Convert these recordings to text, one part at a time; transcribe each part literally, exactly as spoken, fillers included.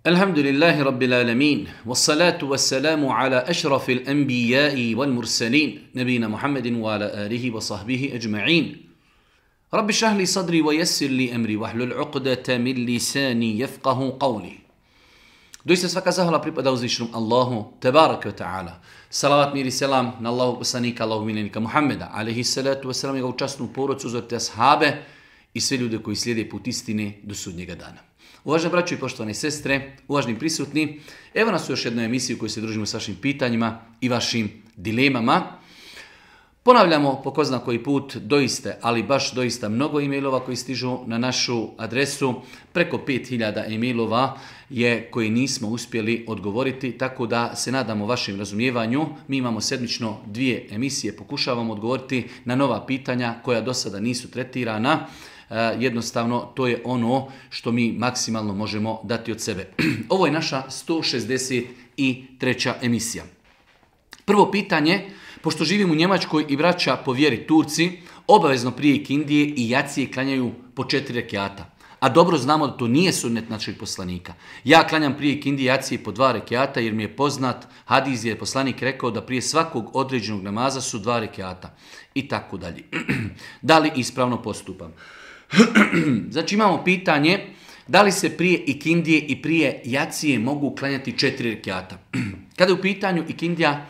الحمد لله رب العالمين والصلاة والسلام على أشرف الأنبياء والمرسلين نبينا محمد وعلى آله وصحبه أجمعين رب اشرح لي صدري ويسر لي أمري واحلل عقدة من لساني يفقه قولي. Doista svaka zahvala pripada uzvišenom Allahu tebareke ve taala. Salavat mir i selam na Allahu poslanika, Allahu miljenika Muhameda alejhi salatu vesselam, njegovu časnu porodicu, uzorite ashabe i sve ljude koji slijede put istine do sudnjega dana. Uvaženi braćo i poštovane sestre, uvaženi prisutni, evo nas u još jednoj emisiji u kojoj se družimo s vašim pitanjima i vašim dilemama. Ponavljamo po ko zna koji put doista, ali baš doista mnogo e-mailova koji stižu na našu adresu. Preko pet hiljada e-mailova je koji nismo uspjeli odgovoriti, tako da se nadamo vašem razumijevanju. Mi imamo sedmično dvije emisije, pokušavamo odgovoriti na nova pitanja koja do sada nisu tretirana. Jednostavno, to je ono što mi maksimalno možemo dati od sebe. Ovo je naša sto šezdeset treća emisija. Prvo pitanje, pošto živim u Njemačkoj i braća po vjeri Turci, obavezno prije ikindije i jacije klanjaju po četiri rekiata. A dobro znamo da to nije sunnet našeg poslanika. Ja klanjam prije ikindije i jacije po dva rekiata jer mi je poznat hadis je poslanik rekao da prije svakog određenog namaza su dva rekiata. I tako dalje. Da li ispravno postupam? Znači imamo pitanje da li se prije ikindije i prije jacije mogu klanjati četiri rekiata. Kada je u pitanju ikindija,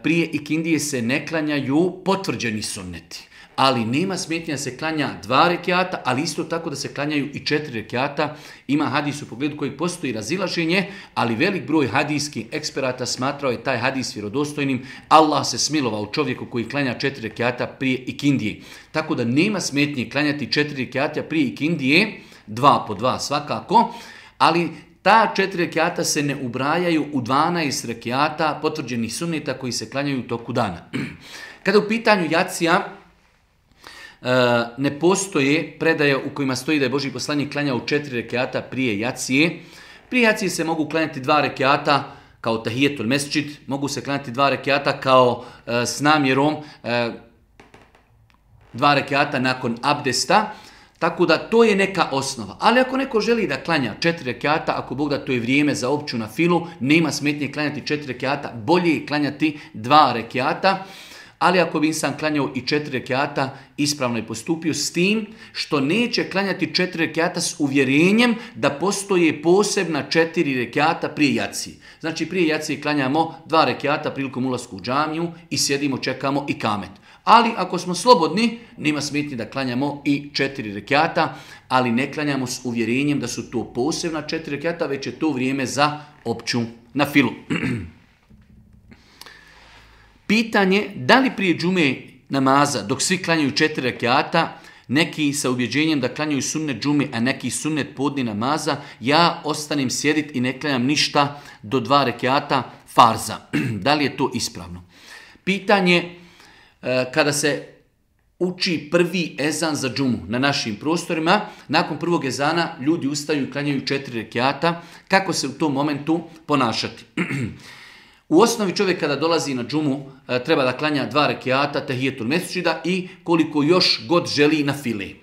prije ikindije se ne klanjaju potvrđeni sunneti, ali nema smetnja da se klanja dva rekiata, ali isto tako da se klanjaju i četiri rekiata. Ima hadis u pogledu kojeg postoji razilaženje, ali velik broj hadijskih eksperata smatrao je taj hadis vjerodostojnim. Allah se smilovao čovjeku koji klanja četiri rekiata prije ikindije. Tako da nema smetnje klanjati četiri rekiata prije ikindije, dva po dva svakako, ali ta četiri rekiata se ne ubrajaju u dvanaest rekiata potvrđenih sunneta koji se klanjaju u toku dana. Kada u pitanju jacija, ne postoje predaje u kojima stoji da je Božji poslanik klanjao četiri rekiata prije jacije. Prije jacije se mogu klanjati dva rekiata kao tahijetul mesdžid, mogu se klanjati dva rekiata kao e, s namjerom e, dva rekiata nakon abdesta, tako da to je neka osnova. Ali ako neko želi da klanja četiri rekiata, ako Bog da to je vrijeme za opću na filu, nema smetnje klanjati četiri rekiata, bolje je klanjati dva rekiata. Ali ako bi insan klanjao i četiri rekiata, ispravno je postupio s tim što neće klanjati četiri rekiata s uvjerenjem da postoje posebna četiri rekiata prije jacije. Znači prije jacije klanjamo dva rekiata prilikom ulasku u džamiju i sjedimo, čekamo i kamet. Ali ako smo slobodni, nema smetnje da klanjamo i četiri rekiata, ali ne klanjamo s uvjerenjem da su to posebna četiri rekiata, već je to vrijeme za opću na filu. Pitanje, da li prije džume namaza, dok svi klanjaju četiri rekiata, neki sa ubjeđenjem da klanjaju sunnet džume, a neki sunnet podni namaza, ja ostanem sjediti i ne klanjam ništa do dva rekiata farza. Da li je to ispravno? Pitanje, kada se uči prvi ezan za džumu na našim prostorima, nakon prvog ezana ljudi ustaju i klanjaju četiri rekiata, kako se u tom momentu ponašati? U osnovi čovjek kada dolazi na džumu treba da klanja dva rekiata tahijetul mesdžida i koliko još god želi na file. E,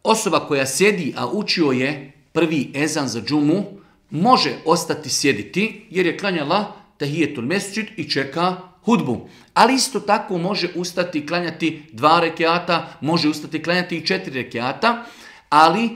osoba koja sjedi, a učio je prvi ezan za džumu, može ostati sjediti jer je klanjala tahijetul mesdžid i čeka hudbu. Ali isto tako može ustati klanjati dva rekiata, može ustati klanjati i četiri rekiata, ali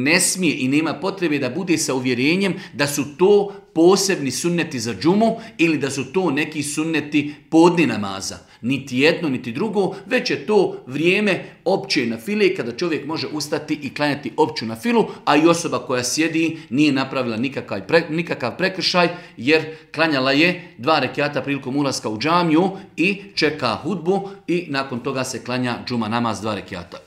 ne smije i nema potrebe da bude sa uvjerenjem da su to posebni sunneti za džumu ili da su to neki sunneti podni namaza. Niti jedno, niti drugo, već je to vrijeme opće na file kada čovjek može ustati i klanjati opću na filu, a i osoba koja sjedi nije napravila nikakav, pre, nikakav prekršaj jer klanjala je dva rekiata prilikom ulaska u džamiju i čeka hudbu i nakon toga se klanja džuma namaz dva rekiata.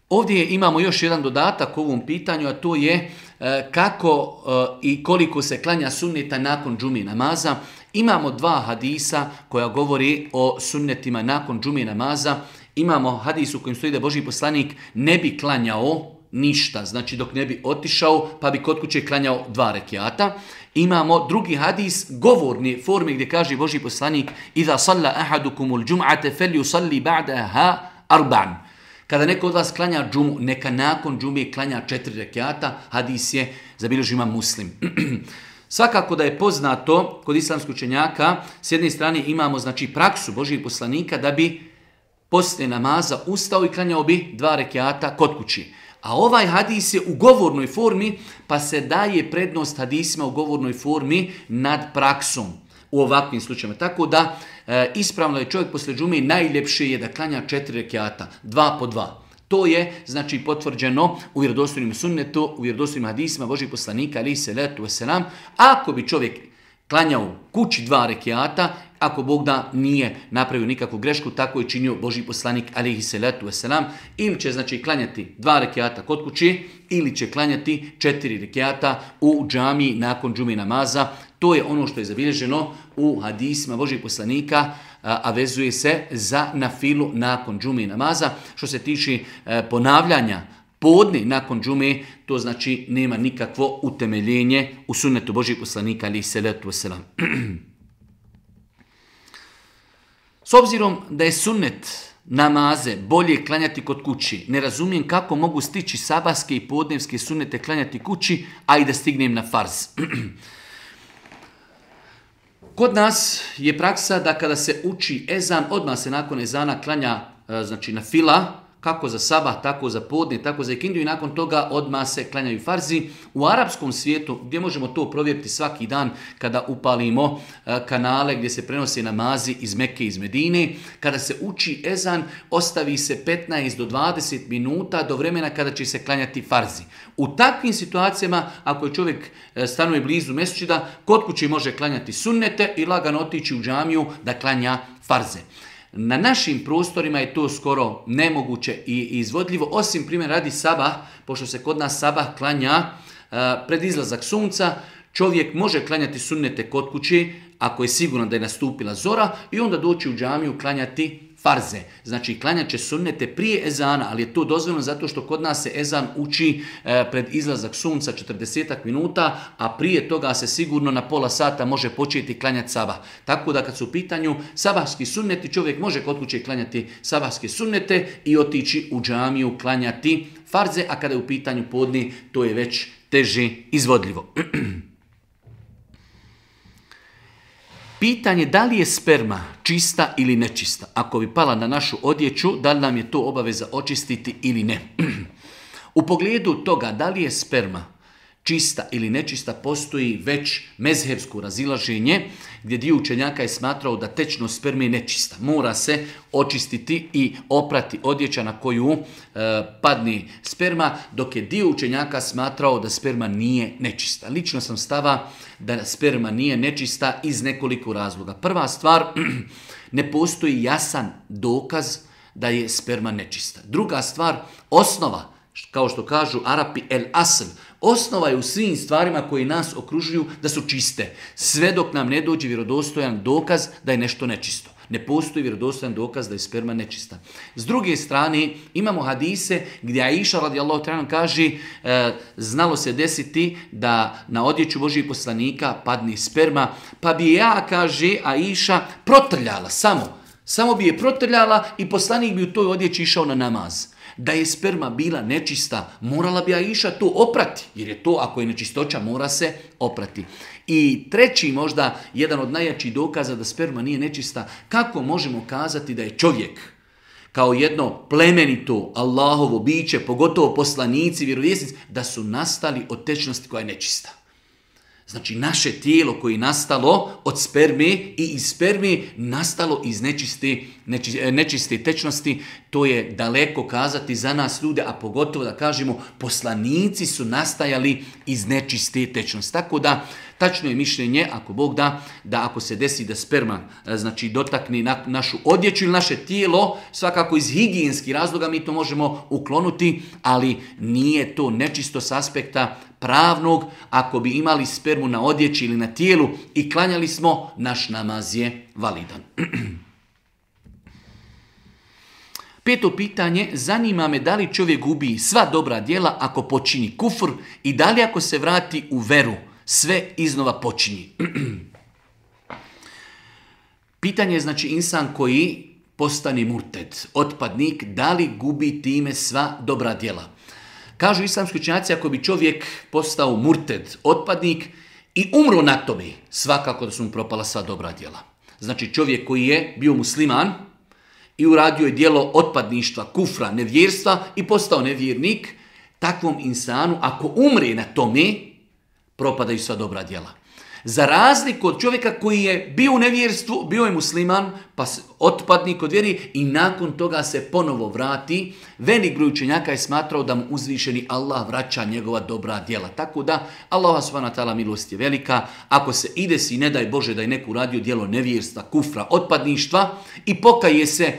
Ovdje imamo još jedan dodatak ovom pitanju, a to je e, kako e, i koliko se klanja sunneta nakon džume namaza. Imamo dva hadisa koja govori o sunnetima nakon džume namaza. Imamo hadis u kojem stoji da Božji poslanik ne bi klanjao ništa, znači dok ne bi otišao pa bi kod kuće klanjao dva rekiata. Imamo drugi hadis govorne forme gdje kaže Božji poslanik Iza salla ahadukumul džum'ate fel yusalli ba'daha arba'an. Kada neko od vas klanja džumu, neka nakon džume klanja četiri rekjata, hadis je zabilježio Imam Muslim. Svakako da je poznato kod islamskih učenjaka, s jedne strane imamo znači praksu Božjih poslanika da bi poslije namaza ustao i klanjao bi dva rekjata kod kući. A ovaj hadis je u govornoj formi, pa se daje prednost hadisima u govornoj formi nad praksom u ovakvim slučajima. Tako da e, ispravno je čovjek poslije džume, najljepše je da klanja četiri rekjata, dva po dva. To je znači potvrđeno u vjerodostojnom sunnetu, u vjerodostojnim hadisima Božjih poslanika, alejhi selatu vesselam. Ako bi čovjek klanjao kući dva rekjata, ako Bog da nije napravio nikakvu grešku, tako je činio Božji poslanik, alejhi selatu vesselam, ili će znači klanjati dva rekjata kod kući, ili će klanjati četiri rekjata u džamiji nakon džume namaza. To je ono što je zabilježeno u hadisima Božjih poslanika, a vezuje se za nafilu nakon džume namaza. Što se tiče ponavljanja podne nakon džume, to znači nema nikakvo utemeljenje u sunnetu Božjih poslanika, alejhi selatu vesselam. S obzirom da je sunnet namaze bolje klanjati kod kući, ne razumijem kako mogu stići sabahske i podnevske sunnete klanjati kući, a i da stignem na farz. Kod nas je praksa da kada se uči ezan, odmah se nakon ezana klanja znači na fila, kako za sabah, tako za podne, tako za ikindiju i nakon toga odmah se klanjaju farzi. U arapskom svijetu, gdje možemo to provjeriti svaki dan kada upalimo kanale gdje se prenose namazi iz Mekke i iz Medine, kada se uči ezan, ostavi se petnaest do dvadeset minuta do vremena kada će se klanjati farzi. U takvim situacijama, ako je čovjek stanuje blizu mesdžida, kod kuće može klanjati sunnete i lagano otići u džamiju da klanja farze. Na našim prostorima je to skoro nemoguće i izvodljivo, osim primjer radi sabah, pošto se kod nas sabah klanja uh, pred izlazak sunca, čovjek može klanjati sunnete kod kuće ako je sigurno da je nastupila zora i onda doći u džamiju klanjati farze. Znači klanjat će sunnete prije ezana, ali je to dozvoljeno zato što kod nas se ezan uči e, pred izlazak sunca četrdeset minuta, a prije toga se sigurno na pola sata može početi klanjati sabah. Tako da kad su u pitanju sabahski sunneti, čovjek može kod kuće klanjati sabahske sunnete i otići u džamiju klanjati farze, a kada je u pitanju podne, to je već teže izvodljivo. Pitanje da li je sperma čista ili nečista. Ako bi pala na našu odjeću, da li nam je to obaveza očistiti ili ne. U pogledu toga da li je sperma čista ili nečista postoji već mezhebsko razilaženje gdje dio učenjaka je smatrao da tečnost sperme je nečista. Mora se očistiti i oprati odjeća na koju e, padne sperma, dok je dio učenjaka smatrao da sperma nije nečista. Lično sam stava da sperma nije nečista iz nekoliko razloga. Prva stvar, ne postoji jasan dokaz da je sperma nečista. Druga stvar, osnova, kao što kažu Arapi, el asl, osnova je u svim stvarima koji nas okružuju da su čiste. Sve dok nam ne dođe vjerodostojan dokaz da je nešto nečisto. Ne postoji vjerodostojan dokaz da je sperma nečista. S druge strane, imamo hadise gdje Aisha radijallahu ta'ala kaže e, znalo se desiti da na odjeću Božjih poslanika padne sperma, pa bi ja, kaže Aisha, protrljala samo. Samo bi je protrljala i poslanik bi u toj odjeći išao na namaz. Da je sperma bila nečista, morala bi Aisha to oprati, jer je to, ako je nečistoća, mora se oprati. I treći, možda jedan od najjačih dokaza da sperma nije nečista, kako možemo kazati da je čovjek kao jedno plemenito Allahovo biće, pogotovo poslanici, vjerovjesnici, da su nastali od tečnosti koja je nečista. Znači naše tijelo koje je nastalo od sperme i iz sperme nastalo iz nečiste, nečiste, nečiste tečnosti, to je daleko kazati za nas ljude, a pogotovo da kažemo poslanici su nastajali iz nečiste tečnosti. Tako da tačno je mišljenje, ako Bog da, da ako se desi da sperma znači dotakne na, našu odjeću ili naše tijelo, svakako iz higijenskih razloga mi to možemo uklonuti, ali nije to nečisto s aspekta pravnog. Ako bi imali spermu na odjeći ili na tijelu i klanjali smo, naš namaz je validan. Peto pitanje, zanima me da li čovjek gubi sva dobra djela ako počini kufr i da li ako se vrati u veru Sve iznova počinji. Pitanje je znači insan koji postane murted, otpadnik, da li gubi time sva dobra djela? Kažu islamski učenjaci, ako bi čovjek postao murted, otpadnik i umro na tome, svakako da su mu propala sva dobra djela. Znači čovjek koji je bio musliman i uradio je djelo otpadništva, kufra, nevjerstva i postao nevjernik, takvom insanu, ako umre na tome, propadaju sva dobra djela. Za razliku od čovjeka koji je bio u nevjerstvu, bio je musliman, pa otpadnik od vjeri i nakon toga se ponovo vrati, velik broj učenjaka je smatrao da mu uzvišeni Allah vraća njegova dobra djela. Tako da, Allah subhanahu wa ta'ala milost je velika. Ako se ide si, ne daj Bože da je neko uradio djelo nevjerstva, kufra, otpadništva i pokaje se,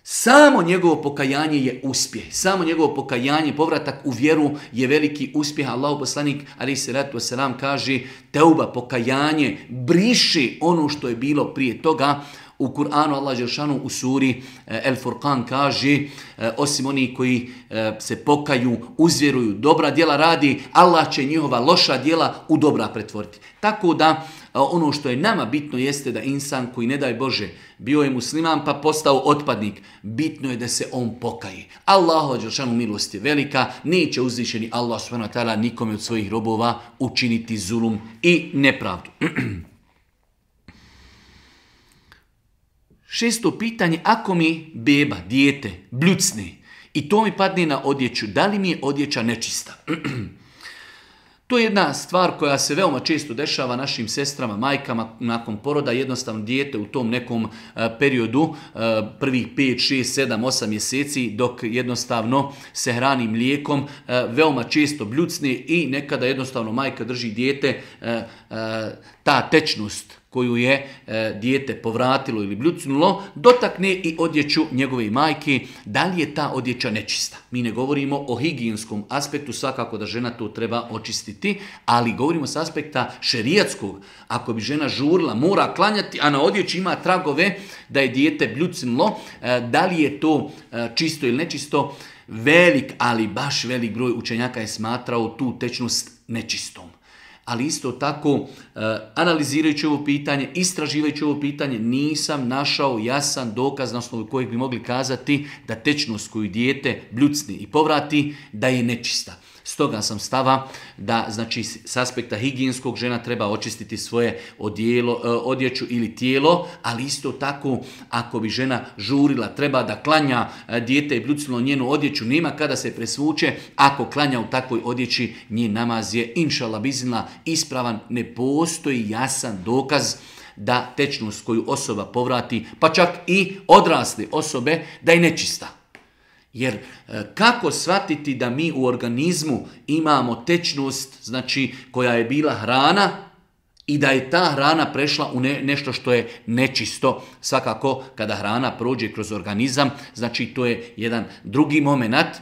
samo njegovo pokajanje je uspjeh. Samo njegovo pokajanje, povratak u vjeru je veliki uspjeh. Allahu poslanik alejhi selatu vesselam kaže teuba, pokajanje, briši ono što je bilo prije toga. U Kur'anu Allah dželešanu u suri El Furqan kaže osim oni koji se pokaju, uzvjeruju, dobra djela radi, Allah će njihova loša djela u dobra pretvoriti. Tako da ono što je nama bitno jeste da insan koji, ne daj Bože, bio je musliman pa postao otpadnik, bitno je da se on pokaje. Allahu dželešanu milost je velika, neće uzvišeni Allah subhanahu wa ta'ala nikome od svojih robova učiniti zulum i nepravdu. Šesto pitanje, ako mi beba, dijete, bljucne i to mi padne na odjeću, da li mi je odjeća nečista? To je jedna stvar koja se veoma često dešava našim sestrama, majkama nakon poroda. Jednostavno dijete u tom nekom periodu, prvih pet, šest, sedam, osam mjeseci, dok jednostavno se hrani mlijekom, veoma često bljucne i nekada jednostavno majka drži dijete, ta tečnost koju je e, dijete povratilo ili bljucnulo, dotakne i odjeću njegove majke, da li je ta odjeća nečista. Mi ne govorimo o higijenskom aspektu, svakako da žena to treba očistiti, ali govorimo s aspekta šerijatskog. Ako bi žena žurila, mora klanjati, a na odjeći ima tragove da je dijete bljucnulo, e, da li je to e, čisto ili nečisto, velik, ali baš velik broj učenjaka je smatrao tu tečnost nečistom. Ali isto tako, analizirajući ovo pitanje, istraživajući ovo pitanje, nisam našao jasan dokaz na osnovu kojeg bi mogli kazati da tečnost koju dijete bljucni i povrati, da je nečista. Stoga sam stava da, znači, s aspekta higijenskog žena treba očistiti svoje odjelo, odjeću ili tijelo, ali isto tako, ako bi žena žurila, treba da klanja, dijete je bljucnulo njenu odjeću, nema kada se presvuče, ako klanja u takvoj odjeći, njen namaz je, inšallah biznila, ispravan, ne postoji jasan dokaz da tečnost koju osoba povrati, pa čak i odrasle osobe, da je nečista. Jer kako shvatiti da mi u organizmu imamo tečnost, znači koja je bila hrana i da je ta hrana prešla u ne, nešto što je nečisto. Svakako kada hrana prođe kroz organizam, znači to je jedan drugi moment,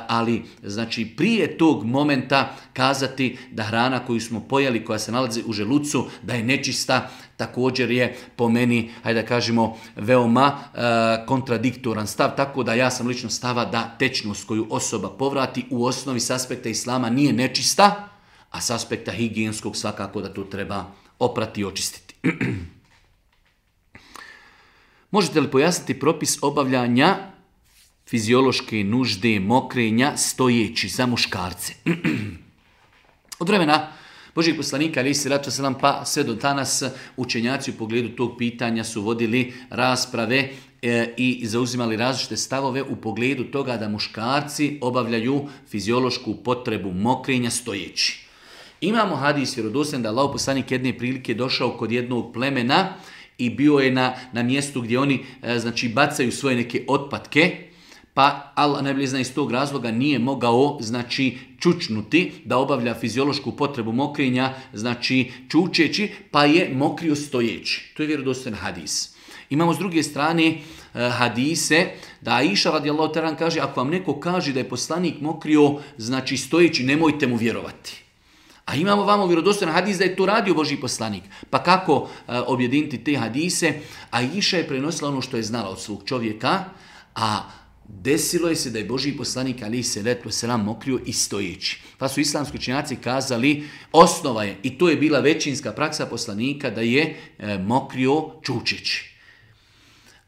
ali znači prije tog momenta kazati da hrana koju smo pojeli, koja se nalazi u želucu, da je nečista, također je po meni, hajde da kažemo, veoma e, kontradiktoran stav, tako da ja sam lično stava da tečnost koju osoba povrati u osnovi s aspekta islama nije nečista, a s aspekta higijenskog svakako da to treba oprati i očistiti. Možete li pojasniti propis obavljanja fiziološke nužde mokrenja stojeći za muškarce? Od vremena Božjeg poslanika alejhi selatu selam pa sve do danas učenjaci u pogledu tog pitanja su vodili rasprave e, i zauzimali različite stavove u pogledu toga da muškarci obavljaju fiziološku potrebu mokrenja stojeći. Imamo hadis vjerodostojan da Allahov poslanik jedne prilike došao kod jednog plemena i bio je na, na mjestu gdje oni e, znači bacaju svoje neke otpadke, pa Allah najbolje zna iz tog razloga nije mogao znači čučnuti da obavlja fiziološku potrebu mokrenja, znači čučeći, pa je mokrio stojeći. To je vjerodostojan hadis. Imamo s druge strane hadise da Aisha radijallahu ta'ala kaže ako vam neko kaže da je poslanik mokrio znači stojeći, nemojte mu vjerovati. A imamo vamo vjerodostojan hadis da je to radio Božji poslanik. Pa kako uh, objediniti te hadise? Aisha je prenosila ono što je znala od svog čovjeka, a desilo je se da je Božji poslanik alejhi selatu vesselam mokrio i stojeći. Pa su islamski učenjaci kazali, osnova je, i to je bila većinska praksa poslanika, da je e, mokrio čučeći.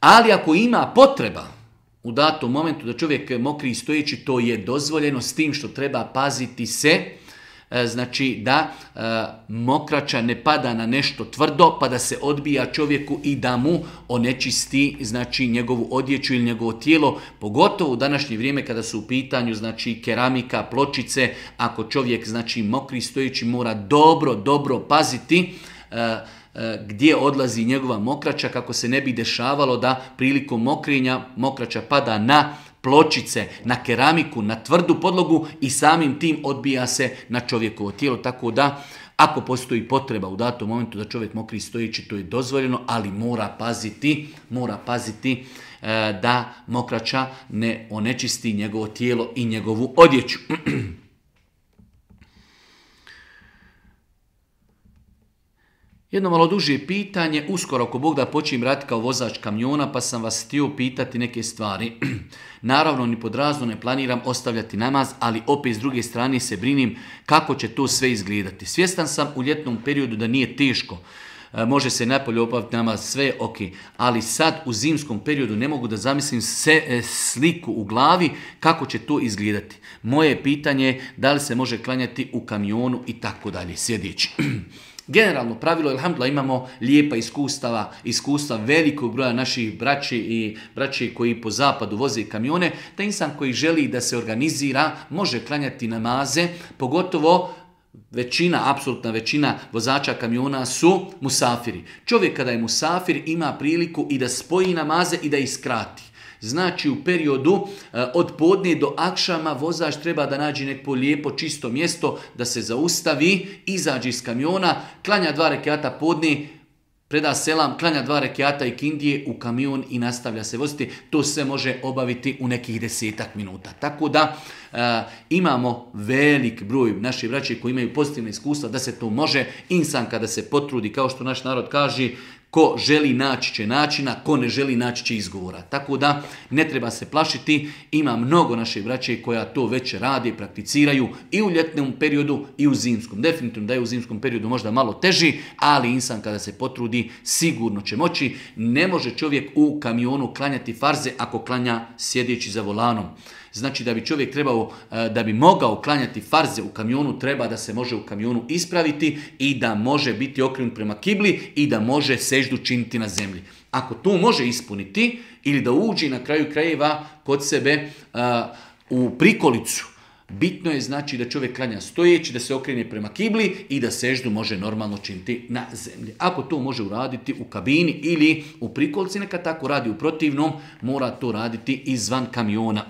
Ali ako ima potreba u datom momentu da čovjek mokri i stojeći, to je dozvoljeno, s tim što treba paziti se, znači da e, mokrača ne pada na nešto tvrdo pa da se odbija čovjeku i da mu onečisti znači njegovu odjeću ili njegovo tijelo, pogotovo u današnje vrijeme kada su u pitanju znači keramika, pločice. Ako čovjek znači mokri stojeći, mora dobro, dobro paziti e, gdje odlazi njegova mokrača, kako se ne bi dešavalo da prilikom mokrenja mokrača pada na pločice, na keramiku, na tvrdu podlogu i samim tim odbija se na čovjekovo tijelo. Tako da ako postoji potreba u datom momentu da čovjek mokri stojeći, to je dozvoljeno, ali mora paziti, mora paziti e, da mokrača ne onečisti njegovo tijelo i njegovu odjeću. Jedno malo duže pitanje, uskoro ako Bog da počnem raditi kao vozač kamiona, pa sam vas htio pitati neke stvari. Naravno, ni pod razno ne planiram ostavljati namaz, ali opet s druge strane se brinim kako će to sve izgledati. Svjestan sam u ljetnom periodu da nije teško, e, može se napolje obaviti namaz, sve je ok, ali sad u zimskom periodu ne mogu da zamislim se, e, sliku u glavi kako će to izgledati. Moje pitanje je da li se može klanjati u kamionu i tako dalje, sjedeći. Generalno pravilo, alhamdulillah, imamo lijepa iskustava, iskustva velikog broja naših braći i braći koji po zapadu voze kamione, da insan koji želi da se organizira može klanjati namaze, pogotovo većina, apsolutna većina vozača kamiona su musafiri. Čovjek kada je musafir ima priliku i da spoji namaze i da ih skrati. Znači u periodu e, od podne do akšama vozač treba da nađe neko lijepo čisto mjesto, da se zaustavi, izađe iz kamiona, klanja dva rekiata podne, preda selam, klanja dva rekiata i kindije u kamion i nastavlja se voziti. To se može obaviti u nekih desetak minuta. Tako da e, imamo velik broj naših braće koji imaju pozitivne iskustva da se to može. Insan kada se potrudi, kao što naš narod kaže, ko želi naći će načina, ko ne želi naći će izgovora. Tako da ne treba se plašiti, ima mnogo naše braće koja to već radi, prakticiraju i u ljetnom periodu i u zimskom. Definitivno da je u zimskom periodu možda malo teži, ali insan kada se potrudi sigurno će moći. Ne može čovjek u kamionu klanjati farze ako klanja sjedeći za volanom. Znači da bi čovjek trebao, da bi mogao klanjati farze u kamionu, treba da se može u kamionu ispraviti i da može biti okrenut prema kibli i da može seždu činiti na zemlji. Ako to može ispuniti ili da uđe na kraju krajeva kod sebe uh, u prikolicu, bitno je znači da čovjek klanja stojeći, da se okrene prema kibli i da seždu može normalno činiti na zemlji. Ako to može uraditi u kabini ili u prikolici, neka tako radi, u protivnom mora to raditi izvan kamiona.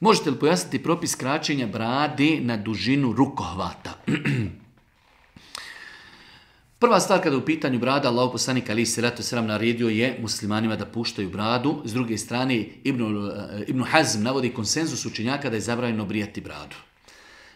Možete li pojasniti propis kraćenja brade na dužinu rukohvata? Prva stvar kada je u pitanju brada, Allahov poslanik alejhi selatu vesselam naredio je muslimanima da puštaju bradu. S druge strane, Ibn, Ibn Hazm navodi konsenzus učenjaka da je zabranjeno brijati bradu.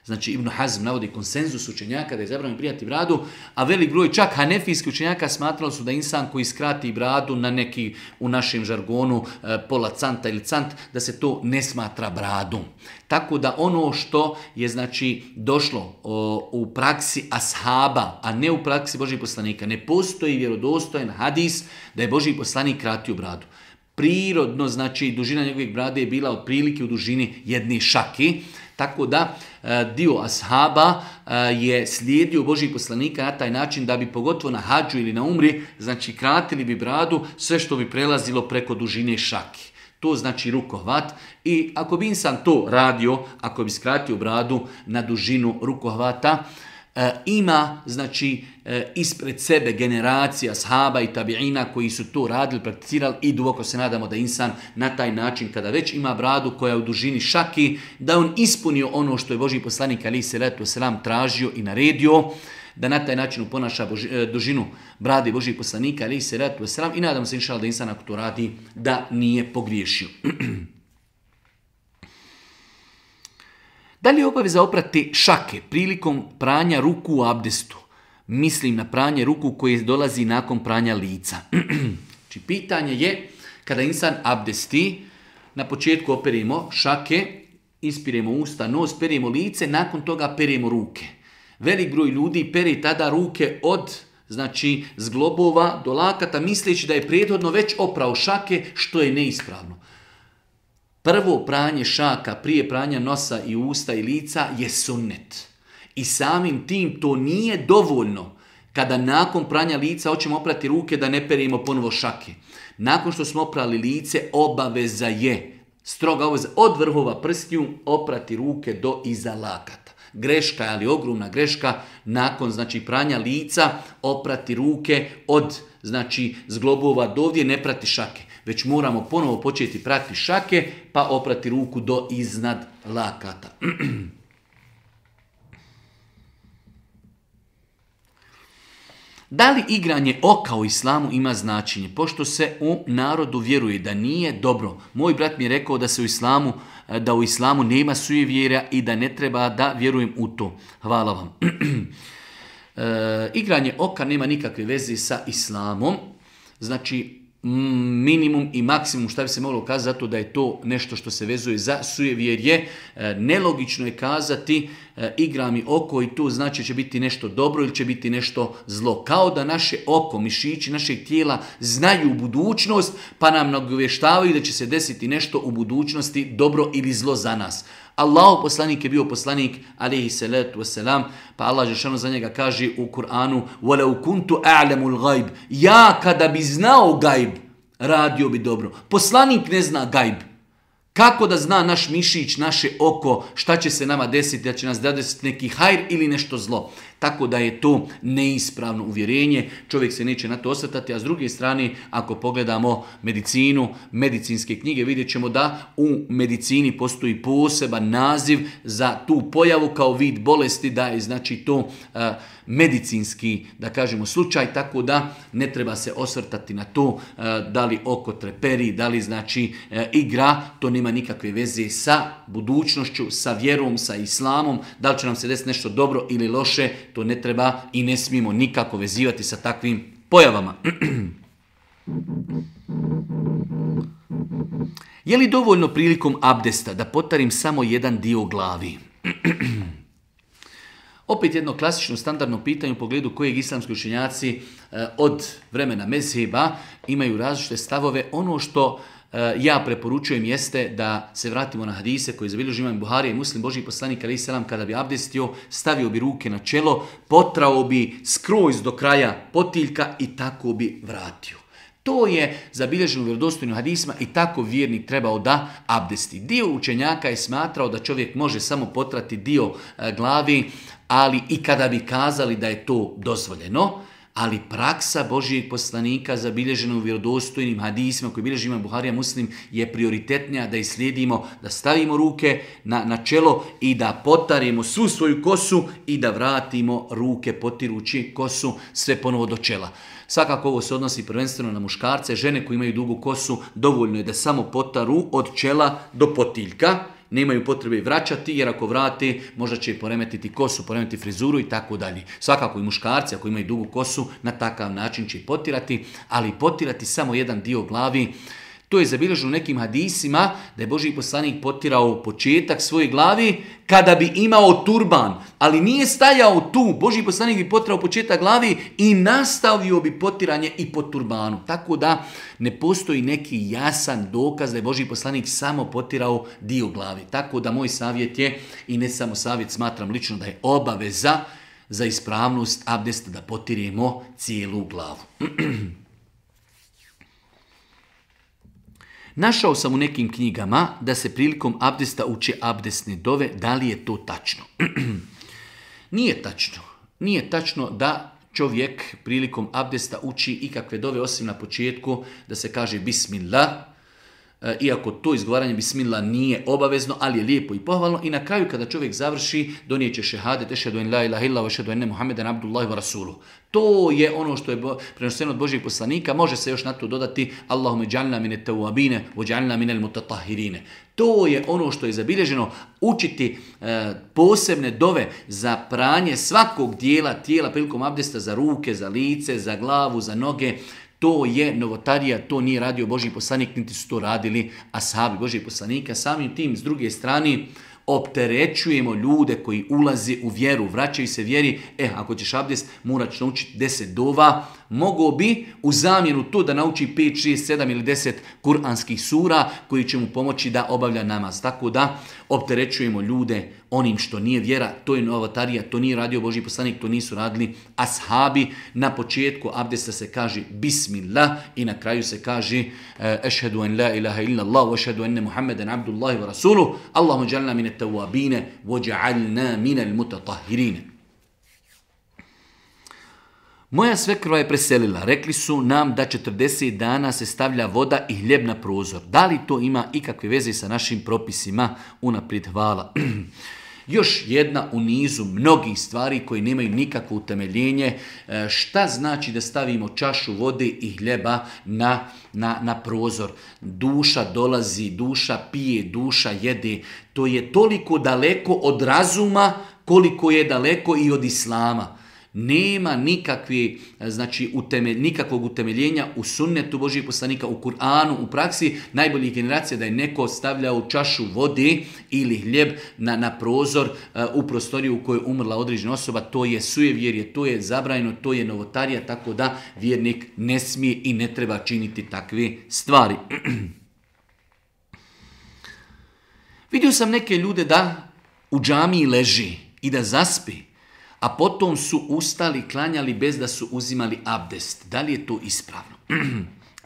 Znači Ibn Hazm navodi konsenzus učenjaka da je zabranjeno brijati bradu, a velik broj čak hanefijski učenjaka smatrali su da insan koji skrati bradu na neki, u našem žargonu, pola canta ili cant, da se to ne smatra bradom. Tako da ono što je znači došlo o, u praksi ashaba, a ne u praksi Božjih poslanika, ne postoji vjerodostojan hadis da je Božji poslanik kratio bradu. Prirodno, znači dužina njegovih brade je bila otprilike u dužini jedne šake, tako da dio ashaba je slijedio Božjih poslanika na taj način da bi pogotovo na hadžu ili na umri, znači kratili bi bradu sve što bi prelazilo preko dužine šake. To znači rukohvat i ako bi insan to radio, ako bi skratio bradu na dužinu rukohvata, E, ima znači e, ispred sebe generacija ashaba i tabiina koji su to radili, prakticirali i duboko se nadamo da insan na taj način kada već ima bradu koja je u dužini šaki, da on ispunio ono što je Božji poslanik alejhi selatu vesselam tražio i naredio, da na taj način ponaša Boži, e, dužinu brade Božjih poslanika alejhi selatu vesselam i nadamo se inšallah da insan ako to radi da nije pogriješio. Da li je obaveza oprati šake prilikom pranja ruku u abdestu? Mislim na pranje ruku koje dolazi nakon pranja lica. Znači, pitanje je, kada insan abdesti, na početku operimo šake, ispiremo usta, nos, peremo lice, nakon toga peremo ruke. Velik broj ljudi peri tada ruke od, znači, zglobova do lakata, misleći da je prethodno već oprao šake, što je neispravno. Prvo pranje šaka prije pranja nosa i usta i lica je sunnet. I samim tim to nije dovoljno. Kada nakon pranja lica hoćemo oprati ruke da ne perimo ponovo šake. Nakon što smo oprali lice, obaveza je, stroga obaveza, od vrhova prstiju oprati ruke do iza lakata. Greška, ali ogromna greška, nakon znači pranja lica oprati ruke od znači zglobova do ovdje, ne prati šake. Već moramo ponovo početi prati šake pa oprati ruku do iznad lakata. Da li igranje oka u islamu ima značenje? Pošto se u narodu vjeruje da nije dobro. Moj brat mi je rekao da se u islamu, da u islamu nema sujevjerja i da ne treba da vjerujem u to. Hvala vam. e, igranje oka nema nikakve veze sa islamom. Znači, minimum i maksimum šta bi se moglo kazati, zato da je to nešto što se vezuje za sujevjerje. E, nelogično je kazati e, igra mi oko i to znači će biti nešto dobro ili će biti nešto zlo. Kao da naše oko, mišići našeg tijela znaju budućnost pa nam nagovještavaju da će se desiti nešto u budućnosti dobro ili zlo za nas. Allahov poslanik je bio poslanik, alejhi salatu vesselam, pa Allah dželle za njega kaže u Kur'anu: "Walau kuntu a'lamul ghaib", ja kada bi znao gajb, radio bi dobro. Poslanik ne zna gajb. Kako da zna naš mišić, naše oko, šta će se nama desiti, da će nas desiti neki hajr ili nešto zlo. Tako da je to neispravno uvjerenje, čovjek se neće na to osvrtati, a s druge strane, ako pogledamo medicinu, medicinske knjige, vidjet ćemo da u medicini postoji poseban naziv za tu pojavu kao vid bolesti, da je znači to uh, medicinski, da kažemo, slučaj, tako da ne treba se osvrtati na to uh, da li oko treperi, da li znači uh, igra, to nema nikakve veze sa budućnošću, sa vjerom, sa islamom, da li će nam se desiti nešto dobro ili loše, to ne treba i ne smijemo nikako vezivati sa takvim pojavama. Je li dovoljno prilikom abdesta da potarim samo jedan dio glavi? Opet jedno klasično standardno pitanje u pogledu kojeg islamski učenjaci od vremena mezheba imaju različite stavove. Ono što ja preporučujem jeste da se vratimo na hadise koji zabilježi imam Buharija i Muslim. Božji poslanik alejhi selam kada bi abdestio, stavio bi ruke na čelo, potrao bi skroz do kraja potiljka i tako bi vratio. To je zabilježeno u vjerodostojnim hadisima i tako vjernik trebao da abdesti. Dio učenjaka je smatrao da čovjek može samo potrati dio glavi, ali i kada bi kazali da je to dozvoljeno. Ali praksa Božijeg poslanika zabilježena u vjerodostojnim hadisima koji bilježi imam Buharija Muslim je prioritetnija da islijedimo, da stavimo ruke na, na čelo i da potarimo svu svoju kosu i da vratimo ruke potirući kosu sve ponovo do čela. Svakako ovo se odnosi prvenstveno na muškarce, žene koji imaju dugu kosu, dovoljno je da samo potaru od čela do potiljka. Nemaju potrebe vraćati, jer ako vrate, možda će poremetiti kosu, poremetiti frizuru i tako dalje. Svakako i muškarci, ako imaju dugu kosu, na takav način će potirati, ali potirati samo jedan dio glavi. To je zabilježeno u nekim hadisima da je Božji poslanik potirao početak svoje glavi kada bi imao turban, ali nije stajao tu. Božji poslanik bi potirao početak glavi i nastavio bi potiranje i po turbanu. Tako da ne postoji neki jasan dokaz da je Božji poslanik samo potirao dio glavi. Tako da moj savjet je, i ne samo savjet, smatram lično da je obaveza za ispravnost abdesta da potiremo cijelu glavu. Našao sam u nekim knjigama da se prilikom abdesta uče abdesne dove. Da li je to tačno? Nije tačno. Nije tačno da čovjek prilikom abdesta uči ikakve dove osim na početku da se kaže bismillah. Iako to izgovaranje bismillah nije obavezno, ali je lijepo i pohvalno. I na kraju kada čovjek završi, donijet će šehadet, ešhedu en la ilaha illa, ešhedu enne Muhammeden abdullahi wa rasuluh. To je ono što je prenoseno od Božjeg poslanika. Može se još na to dodati Allahume džalna mine tawabine, wa džalna mine mutatahirine. To je ono što je zabilježeno. Učiti e, posebne dove za pranje svakog dijela tijela prilikom abdesta, za ruke, za lice, za glavu, za noge. To je novotarija, to nije radio Božji poslanik, niti su to radili ashabi Božjeg poslanika. Samim tim, s druge strane, opterećujemo ljude koji ulaze u vjeru, vraćaju se vjeri. E, ako ćeš abdest, moraš naučiti deset dova. Mogao bi u zamjenu to da nauči pet, šest, sedam ili deset kuranskih sura koji će mu pomoći da obavlja namaz. Tako da opterećujemo ljude onim što nije vjera, to je novotarija, to nije radio Božji poslanik, to nisu radili ashabi. Na početku abdesta se kaže bismillah i na kraju se kaže ešhedu en la ilaha illa Allah wa ešhedu enne Muhammeden abdullahi wa rasuluh. Allahumma džalna mine tawabine wa dža'alna mine mutatahirine. Moja svekrva je preselila. Rekli su nam da četrdeset dana se stavlja voda i hljeb na prozor. Da li to ima ikakve veze sa našim propisima? Unaprijed hvala. Još jedna u nizu mnogih stvari koji nemaju nikakvo utemeljenje. Šta znači da stavimo čašu vode i hljeba na, na, na prozor? Duša dolazi, duša pije, duša jede. To je toliko daleko od razuma koliko je daleko i od islama. Nema nikakve, znači, utemelj, nikakvog utemeljenja u sunnetu Božjih poslanika, u Kur'anu, u praksi najboljih generacija da je neko stavljao čašu vode ili hljeb na, na prozor uh, u prostoriju u kojoj je umrla određena osoba. To je sujevjerje, to je zabranjeno, to je novotarija, tako da vjernik ne smije i ne treba činiti takve stvari. Vidio sam neke ljude da u džamiji leži i da zaspi, a potom su ustali, klanjali bez da su uzimali abdest. Da li je to ispravno?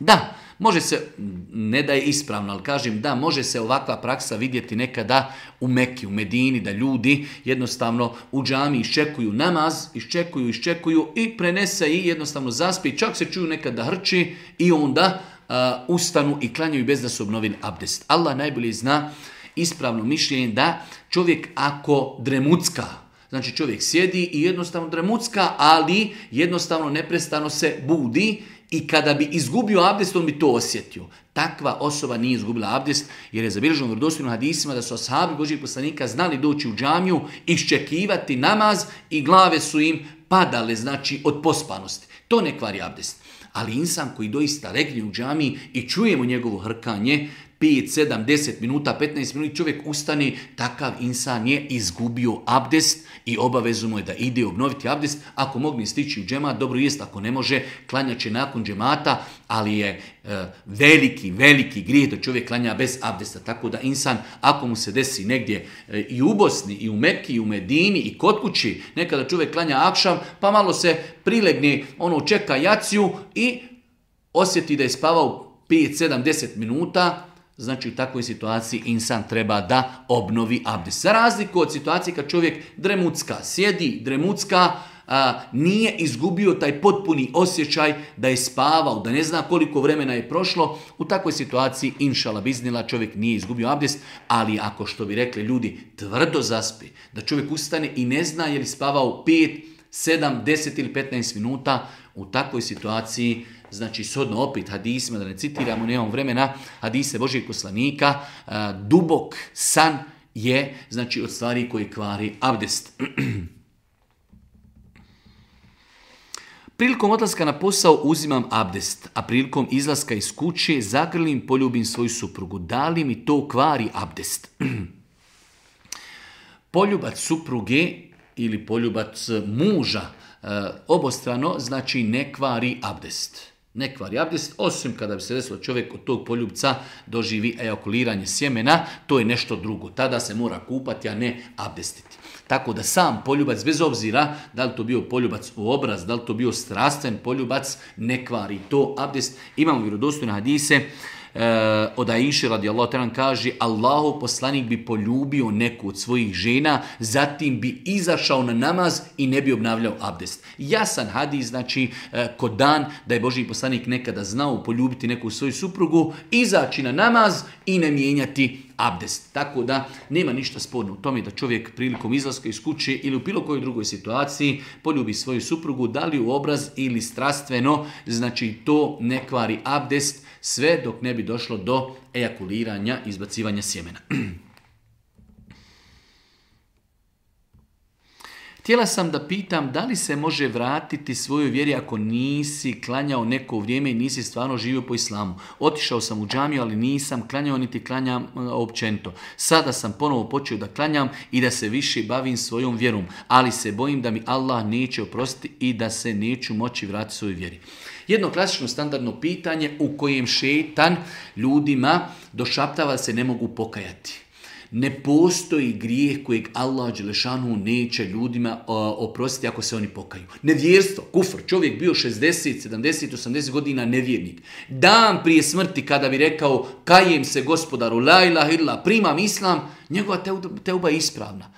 Da, može se, ne da je ispravno, ali kažem da, može se ovakva praksa vidjeti nekada u Meki, u Medini, da ljudi jednostavno u džami iščekuju namaz, iščekuju, iščekuju i prenese i jednostavno zaspi, čak se čuju nekada hrči i onda uh, ustanu i klanjaju bez da su obnovili abdest. Allah najbolje zna ispravno mišljenje da čovjek ako dremucka, znači čovjek sjedi i jednostavno dremucka, ali jednostavno neprestano se budi i kada bi izgubio abdest, on bi to osjetio. Takva osoba nije izgubila abdest, jer je zabilježeno u vjerodostojnim hadisima da su ashabi Božjih poslanika znali doći u džamiju, iščekivati namaz i glave su im padale, znači od pospanosti. To ne kvari abdest. Ali insan koji doista legne u džamiji i čujemo njegovo hrkanje, pet, sedam, deset minuta, petnaest minuta, čovjek ustane, takav insan je izgubio abdest i obavezu mu je da ide obnoviti abdest. Ako mogne stići u džemat, dobro jest, ako ne može, klanjat će nakon džemata, ali je e, veliki, veliki grijeh da čovjek klanja bez abdesta. Tako da insan, ako mu se desi negdje e, i u Bosni, i u Meki, i u Medini, i kod kući, nekada čovjek klanja akšam, pa malo se prilegne, ono čeka jaciju i osjeti da je spavao pet, sedam, deset minuta, znači u takvoj situaciji insan treba da obnovi abdest. Za razliku od situacije kad čovjek dremucka, sjedi dremucka, a, nije izgubio taj potpuni osjećaj da je spavao, da ne zna koliko vremena je prošlo, u takvoj situaciji inšala biznila čovjek nije izgubio abdest, ali ako, što bi rekli ljudi, tvrdo zaspi, da čovjek ustane i ne zna je li spavao pet, sedam, deset ili petnaest minuta, u takvoj situaciji, znači shodno opet hadisima, da ne citiramo, nemamo vremena, hadise Božjeg poslanika, dubok san je, znači, od stvari koji kvari abdest. Prilikom odlaska na posao uzimam abdest, a prilikom izlaska iz kuće zagrlim, poljubim svoju suprugu. Da li mi to kvari abdest? Poljubac supruge ili poljubac muža obostrano, znači ne kvari abdest. Ne kvari abdest, osim kada bi se desilo čovjek od tog poljubca doživi ejakuliranje sjemena, to je nešto drugo. Tada se mora kupati, a ne abdestiti. Tako da sam poljubac, bez obzira da li to bio poljubac u obraz, da li to bio strastven poljubac, ne kvari to abdest. Imamo vjerodostojne hadise, Uh, od Aisha radijallahu ta'ala kaže, Allahov poslanik bi poljubio neku od svojih žena, zatim bi izašao na namaz i ne bi obnavljao abdest. Jasan hadis, znači uh, kod dan da je Božji poslanik nekada znao poljubiti neku svoju suprugu, izaći na namaz i ne mijenjati abdest. Tako da nema ništa sporno u tome da čovjek prilikom izlaska iz kuće ili u bilo kojoj drugoj situaciji poljubi svoju suprugu, da li u obraz ili strastveno, znači to ne kvari abdest, sve dok ne bi došlo do ejakuliranja, izbacivanja sjemena. Htjela sam da pitam da li se može vratiti svojoj vjeri ako nisi klanjao neko vrijeme i nisi stvarno živio po islamu. Otišao sam u džamiju, ali nisam klanjao niti klanjam općenito. Sada sam ponovo počeo da klanjam i da se više bavim svojom vjerom, ali se bojim da mi Allah neće oprostiti i da se neću moći vratiti svojoj vjeri. Jedno klasično standardno pitanje u kojem šetan ljudima došaptava da se ne mogu pokajati. Ne postoji grijeh kojeg Allah dželešanu neće ljudima oprostiti ako se oni pokaju. Nevjerstvo, kufr, čovjek bio šezdeset, sedamdeset, osamdeset godina nevjernik. Dan prije smrti kada bi rekao kajem se gospodaru, la ilaha illa, primam islam, njegova teuba je ispravna.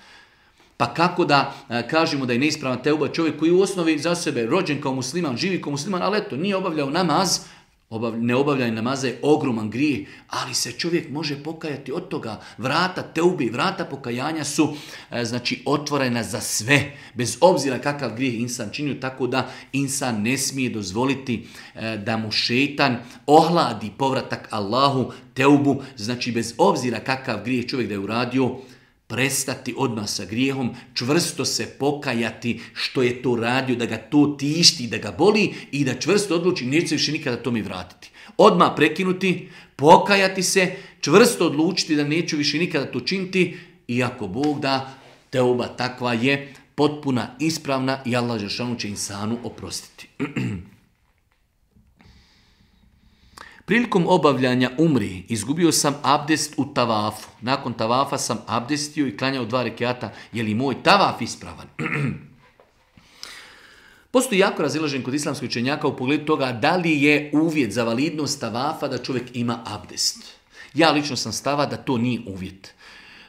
Pa kako da a, kažemo da je neispravna teuba čovjek koji u osnovi za sebe rođen kao musliman, živi kao musliman, ali eto, nije obavljao namaz, obav, ne obavljanje namaza je ogroman grijeh, ali se čovjek može pokajati od toga. Vrata teubi, vrata pokajanja su a, znači otvorena za sve, bez obzira kakav grijeh insan činio, tako da insan ne smije dozvoliti a, da mu šetan ohladi povratak Allahu, teubu, znači bez obzira kakav grijeh čovjek da je uradio, prestati odmah sa grijehom, čvrsto se pokajati što je to radio, da ga to tišti, da ga boli i da čvrsto odluči, neće se više nikada to mi vratiti. Odmah prekinuti, pokajati se, čvrsto odlučiti da neću više nikada to činiti i ako Bog da, teuba takva je potpuna, ispravna i Allah dželešanu će insanu oprostiti. Prilikom obavljanja umri izgubio sam abdest u tavafu. Nakon tavafa sam abdestio i klanjao dva rekata. Je li moj tavaf ispravan? Postoji jako razilažen kod islamskih učenjaka u pogledu toga da li je uvjet za validnost tavafa da čovjek ima abdest. Ja lično sam stava da to nije uvjet.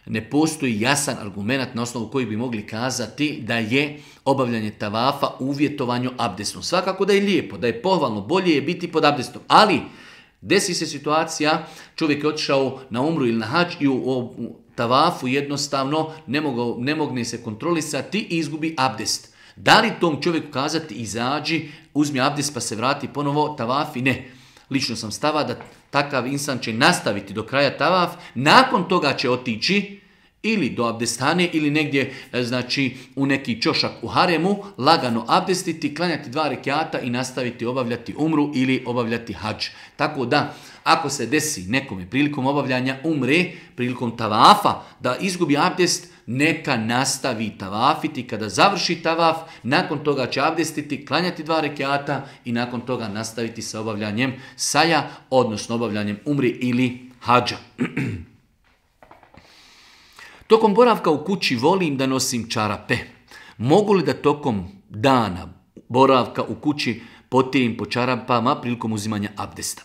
Ne postoji jasan argument na osnovu koji bi mogli kazati da je obavljanje tavafa uvjetovanju abdestom. Svakako da je lijepo, da je pohvalno, bolje je biti pod abdestom, ali desi se situacija, čovjek je otišao na umru ili na hađ i u, u tavafu jednostavno ne, mogu, ne mogne se kontrolisati i izgubi abdest. Da li tom čovjeku kazati izađi, uzmi abdest pa se vrati ponovo tavafi? Ne. Lično sam stava da takav insan će nastaviti do kraja tavaf, nakon toga će otići ili do abdestane ili negdje znači u neki čošak u haremu, lagano abdestiti, klanjati dva rekata i nastaviti obavljati umru ili obavljati hadž. Tako da, ako se desi nekome prilikom obavljanja umre, prilikom tavafa, da izgubi abdest, neka nastavi tavafiti. Kada završi tavaf, nakon toga će abdestiti, klanjati dva rekata i nakon toga nastaviti sa obavljanjem saja, odnosno obavljanjem umri ili hadža. Tokom boravka u kući volim da nosim čarape. Mogu li da tokom dana boravka u kući potirim po čarapama prilikom uzimanja abdesta?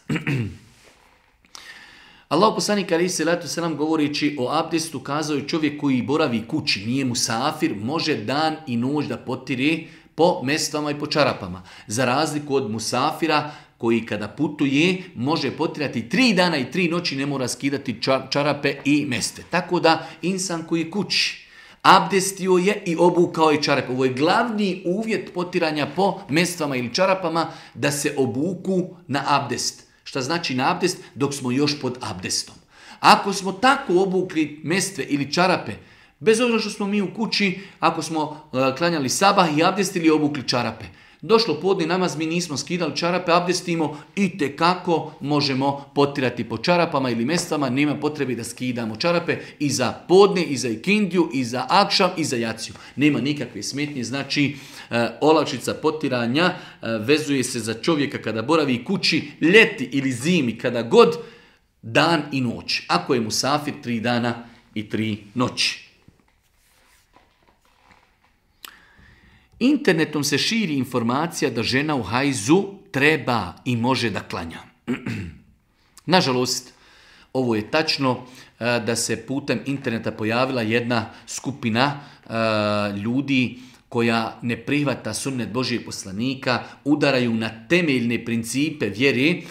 Allahu poslanik alejhi selatu selam govoreći o abdestu kazao je čovjek koji boravi kući, nije musafir, može dan i noć da potiri po mestvama i po čarapama. Za razliku od musafira koji kada putuje može potirati tri dana i tri noći, ne mora skidati čarape i mestve. Tako da insan koji je kući abdestio je i obukao je čarape. Ovo je glavni uvjet potiranja po mestvama ili čarapama, da se obuku na abdest. Šta znači na abdest? Dok smo još pod abdestom. Ako smo tako obukli mestve ili čarape, bez obzira što smo mi u kući, ako smo uh, klanjali sabah i abdestili, obukli čarape, došlo podni namaz, mi nismo skidali čarape, abdestimo i tekako možemo potirati po čarapama ili mestvama, nema potrebe da skidamo čarape i za podne, i za ikindiju, i za akšam, i za jaciju. Nema nikakve smetnje, znači e, olakšica potiranja e, vezuje se za čovjeka kada boravi kući, ljeti ili zimi, kada god, dan i noć. Ako je musafir, tri dana i tri noći. Internetom se širi informacija da žena u hajzu treba i može da klanja. Nažalost, ovo je tačno da se putem interneta pojavila jedna skupina ljudi koja ne prihvata sunnet Božijeg poslanika, udaraju na temeljne principe vjere.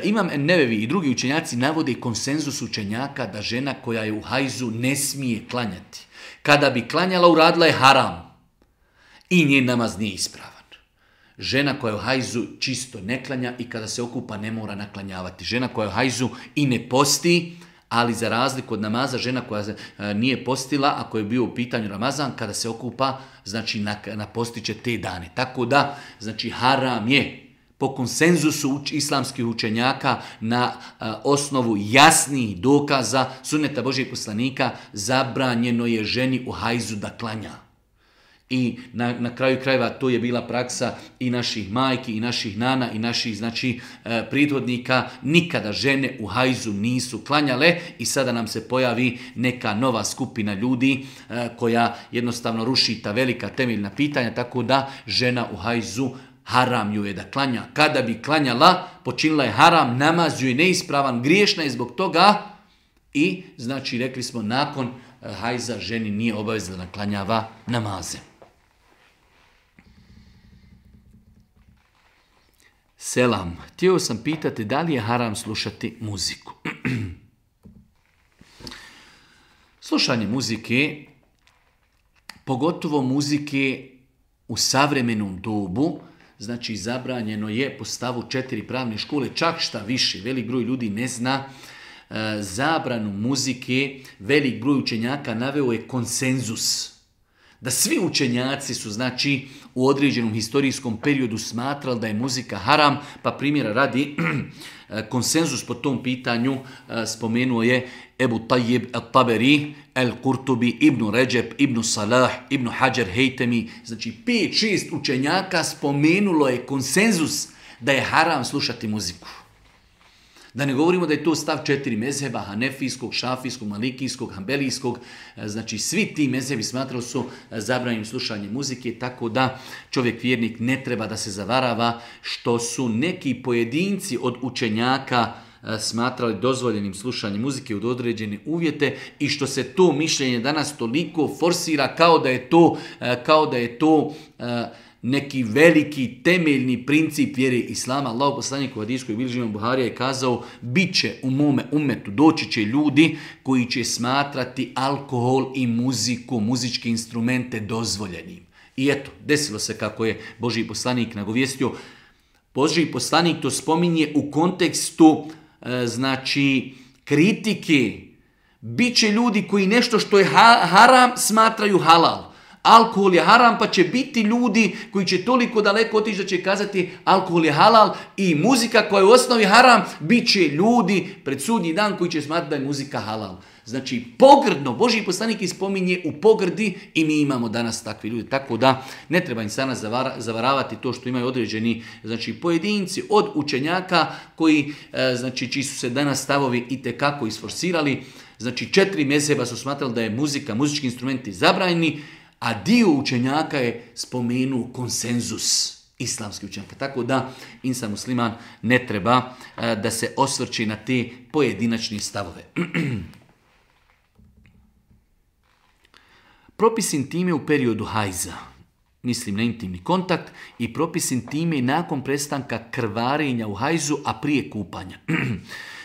Imam Nevevi i drugi učenjaci navode konsenzus učenjaka da žena koja je u hajzu ne smije klanjati. Kada bi klanjala, uradila je haram. I njen namaz nije ispravan. Žena koja je u hajzu čisto ne klanja i kada se okupa ne mora naklanjavati. Žena koja je u hajzu i ne posti, Ali za razliku od namaza, žena koja nije postila, ako je bio u pitanju Ramazan, kada se okupa, znači napostiće te dane. Tako da, znači haram je po konsenzusu islamskih učenjaka na a, osnovu jasnih dokaza sunneta Božijeg poslanika zabranjeno je ženi u hajzu da klanja. I na, na kraju krajeva to je bila praksa i naših majki, i naših nana, i naših znači e, prethodnika. Nikada žene u hajzu nisu klanjale i sada nam se pojavi neka nova skupina ljudi e, koja jednostavno ruši ta velika temeljna pitanja, tako da žena u hajzu haram ju je da klanja. Kada bi klanjala, počinila je haram, namaz ju je neispravan, griješna je zbog toga i znači rekli smo nakon e, hajza ženi nije obavezna da klanjava namaze. Selam, htio sam pitati da li je haram slušati muziku. Slušanje muzike, pogotovo muzike u savremenom dobu, znači zabranjeno je po stavu četiri pravne škole, čak šta više, velik broj ljudi ne zna e, zabranu muzike, velik broj učenjaka naveo je konsenzus. Da svi učenjaci su znači u određenom historijskom periodu smatrali da je muzika haram, pa primjera radi konsenzus po tom pitanju spomenuo je Ebu Tajib al-Taberi, al-Kurtubi, Ibn Ređeb, Ibn Salah, Ibn Hajar Hejtemi, znači pet šest učenjaka spomenulo je konsenzus da je haram slušati muziku. Da ne govorimo da je to stav četiri mezheba, hanefijskog, šafijskog, malikijskog, hambelijskog, znači svi ti mezhebi smatrali su zabranjenim slušanje muzike, tako da čovjek vjernik ne treba da se zavarava što su neki pojedinci od učenjaka smatrali dozvoljenim slušanje muzike od određene uvjete i što se to mišljenje danas toliko forsira kao da je to, kao da je to neki veliki temeljni princip vjere Islama. Allahov poslanik u hadiskoj bilježi imam Buharija je kazao, bit će u mome umetu, doći će ljudi koji će smatrati alkohol i muziku, muzičke instrumente dozvoljenim. I eto, desilo se kako je Božji poslanik nagovijestio. Božji poslanik to spominje u kontekstu e, znači kritike. Biće ljudi koji nešto što je ha- haram smatraju halal. Alkohol je haram, pa će biti ljudi koji će toliko daleko otići da će kazati alkohol je halal i muzika koja je u osnovi haram, bit će ljudi pred sudnji dan koji će smatrati da je muzika halal. Znači pogrdno, Božji poslanik ispominje u pogrdi i mi imamo danas takvi ljudi. Tako da ne treba im sana zavaravati to što imaju određeni znači, pojedinci od učenjaka koji, znači, čiji su se danas stavovi itekako isforsirali. Znači četiri mezheba su smatrali da je muzika, muzički instrumenti zabranjeni, a dio učenjaka je spomenuo konsenzus islamskih učenjaka. Tako da insan musliman ne treba da se osvrći na te pojedinačne stavove. Propis intime u periodu hajza, mislim na intimni kontakt, i propis intime nakon prestanka krvarenja u hajzu, a prije kupanja.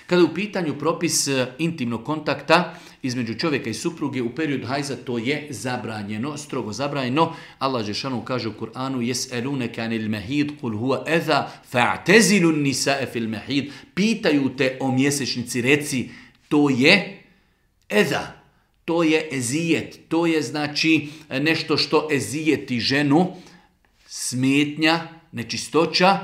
Kada je u pitanju propis intimnog kontakta između čovjeka i supruge u periodu hajza, to je zabranjeno, strogo zabranjeno. Allah dželešanu kaže u Kur'anu: "Yes'alunaka 'anil mahid qul huwa adha fa'tazilu an-nisaa fil mahid." Pitaju te o mjesečnici, reci to je eza, to je ezijet, to je znači nešto što ezijeti ženu, smetnja, nečistoća.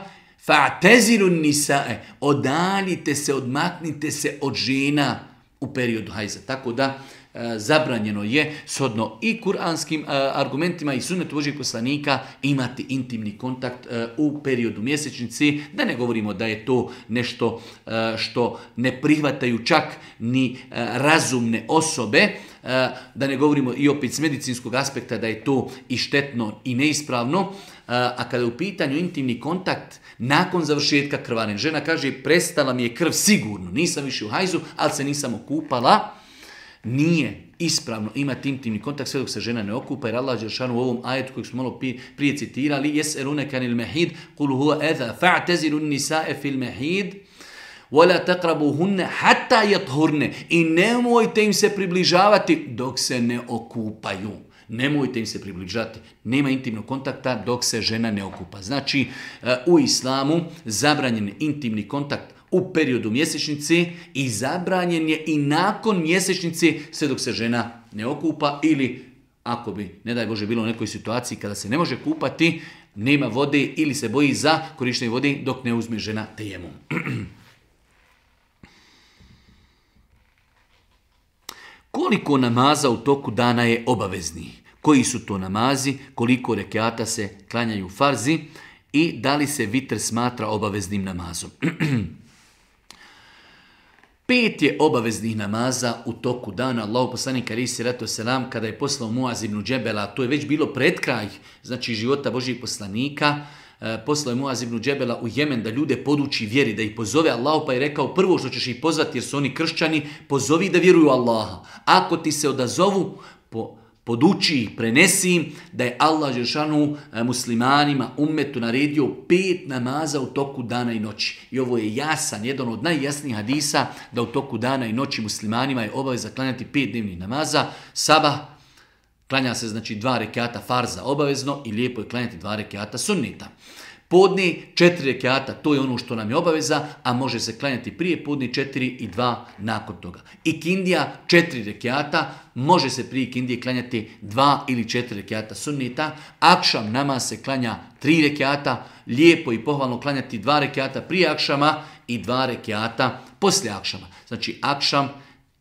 Fa'tazilu an-nisaa, odaljite se, odmaknite se od žena u periodu hajza. Tako da e, zabranjeno je shodno i kuranskim e, argumentima i sunnetu Božjeg poslanika imati intimni kontakt e, u periodu mjesečnici. Da ne govorimo da je to nešto e, što ne prihvataju čak ni e, razumne osobe. E, da ne govorimo i opet s medicinskog aspekta da je to i štetno i neispravno. A kada je u pitanju intimni kontakt nakon završetka krvarenja, žena kaže prestala mi je krv sigurno, nisam više u hajzu, ali se nisam okupala, nije ispravno imati intimni kontakt sve dok se žena ne okupa, jer Allah dželešanu u ovom ajetu kojeg smo malo prije citirali: "Yes'alunaka 'anil mahid qul huwa adha fa'tazilu an-nisaa fil mahid wala taqrabuhunna hatta yathurna." I nemojte im se približavati dok se ne okupaju. Nemojte im se približati. Nema intimnog kontakta dok se žena ne okupa. Znači, u islamu zabranjen intimni kontakt u periodu mjesečnice i zabranjen je i nakon mjesečnice sve dok se žena ne okupa ili ako bi, ne daj Bože, bilo u nekoj situaciji kada se ne može kupati, nema vode ili se boji za korištenje vode dok ne uzme žena tejemum. Koliko namaza u toku dana je obavezni? Koji su to namazi? Koliko rekiata se klanjaju farzi? I da li se vitr smatra obaveznim namazom? Pet je obaveznih namaza u toku dana. Allahu poslanik alejhi selatu selam kada je poslao Muaz ibn Džebela, to je već bilo pred kraj, znači života Božjih poslanika, poslao je Muaz ibn Džebela u Jemen da ljude poduči vjeri, da ih pozove Allahu, pa je rekao prvo što ćeš ih pozvati jer su oni kršćani, pozovi da vjeruju Allaha. Ako ti se odazovu, po, poduči ih, prenesi im da je Allah dželešanu muslimanima, ummetu naredio pet namaza u toku dana i noći. I ovo je jasan, jedan od najjasnijih hadisa da u toku dana i noći muslimanima je obaveza klanjati pet dnevnih namaza. Sabah, klanja se znači dva rekiata farza obavezno i lijepo je klanjati dva rekiata sunnita. Podne četiri rekiata, to je ono što nam je obaveza, a može se klanjati prije podne četiri i dva nakon toga. I kindija četiri rekiata, može se prije kindije klanjati dva ili četiri rekiata sunnita. Akšam namaz se klanja tri rekiata, lijepo i pohvalno klanjati dva rekiata prije akšama i dva rekiata poslije akšama. Znači akšam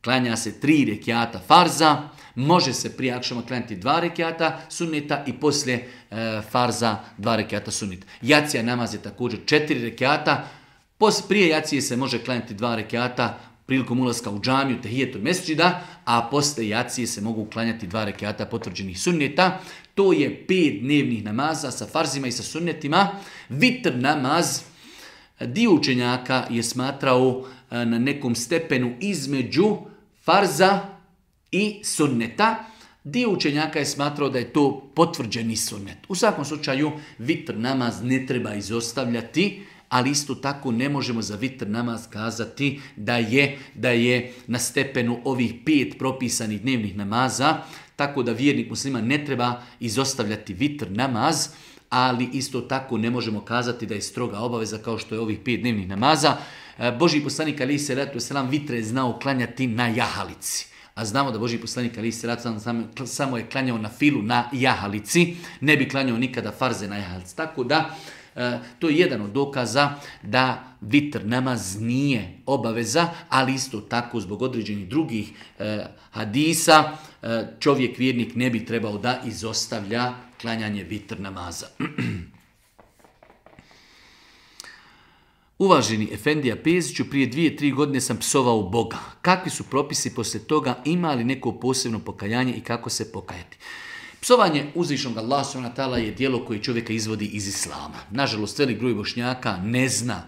klanja se tri rekiata farza, može se prije akšama klanjati dva rekiata sunnita i poslije e, farza dva rekiata sunnita. Jacija namaz je također četiri rekiata, pos, prije jacije se može klanjati dva rekiata prilikom ulaska u džamiju, tehijetul mesdžida, a poslije jacije se mogu klanjati dva rekiata potvrđenih sunnita. To je pet dnevnih namaza sa farzima i sa sunnetima. Vitr namaz, dio učenjaka je smatrao na nekom stepenu između farza i sunneta. Dio učenjaka je smatrao da je to potvrđeni sunnet. U svakom slučaju vitr namaz ne treba izostavljati, ali isto tako ne možemo za vitr namaz kazati da je, da je na stepenu ovih pet propisanih dnevnih namaza, tako da vjernik muslima ne treba izostavljati vitr namaz, ali isto tako ne možemo kazati da je stroga obaveza kao što je ovih pet dnevnih namaza. Božji poslanik alejhi selatu selam vitre je znao klanjati na jahalici. A znamo da Božji poslanik alejhi selatu selam samo je klanjao na filu na jahalici, ne bi klanjao nikada farze na jahalici. Tako da to je jedan od dokaza da vitr namaz nije obaveza, ali isto tako zbog određenih drugih hadisa čovjek vjernik ne bi trebao da izostavlja klanjanje vitr namaza. Uvaženi Efendija Peziću, prije dvije, tri godine sam psovao Boga. Kakvi su propisi poslije toga, ima li neko posebno pokajanje i kako se pokajati? Psovanje uzvišnog Allaha subhanahu wa ta'ala je djelo koje čovjeka izvodi iz islama. Nažalost, velik broj Bošnjaka ne zna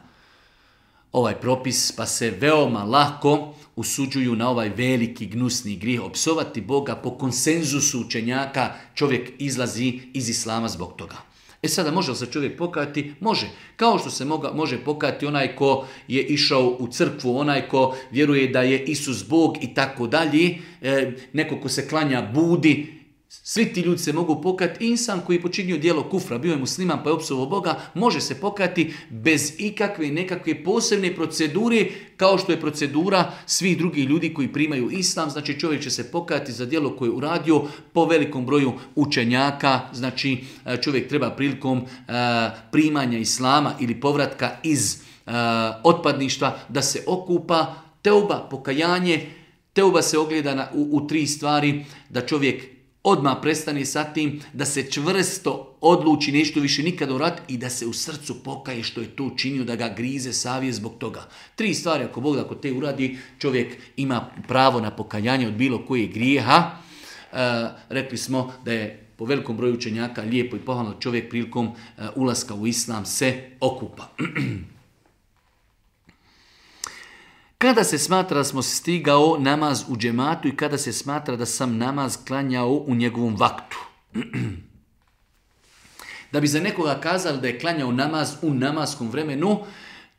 ovaj propis, pa se veoma lako usuđuju na ovaj veliki gnusni grijeh. Opsovati Boga po konsenzusu učenjaka, čovjek izlazi iz islama zbog toga. E sada, može li se čovjek pokajati? Može. Kao što se moga, može pokajati onaj ko je išao u crkvu, onaj ko vjeruje da je Isus Bog i tako dalje, e, neko ko se klanja Budi. Svi ti ljudi se mogu pokajati. Insan koji je počinio djelo kufra, bio je musliman pa je opsovao Boga, može se pokajati bez ikakve nekakve posebne procedure, kao što je procedura svih drugih ljudi koji primaju islam. Znači čovjek će se pokajati za djelo koje je uradio po velikom broju učenjaka. Znači čovjek treba prilikom uh, primanja islama ili povratka iz uh, otpadništva da se okupa. Teuba, pokajanje, teuba se ogleda na, u, u tri stvari, da čovjek odmah prestane sa tim, da se čvrsto odluči nešto više nikada uraditi i da se u srcu pokaje što je to učinio, da ga grize savjest zbog toga. Tri stvari, ako Bog ako te uradi, čovjek ima pravo na pokajanje od bilo kojeg grijeha. E, rekli smo da je po velikom broju učenjaka lijepo i pohvalno čovjek prilikom e, ulaska u islam se okupa. Kada se smatra da smo stigao namaz u džematu i kada se smatra da sam namaz klanjao u njegovom vaktu? Da bi za nekoga kazali da je klanjao namaz u namaskom vremenu,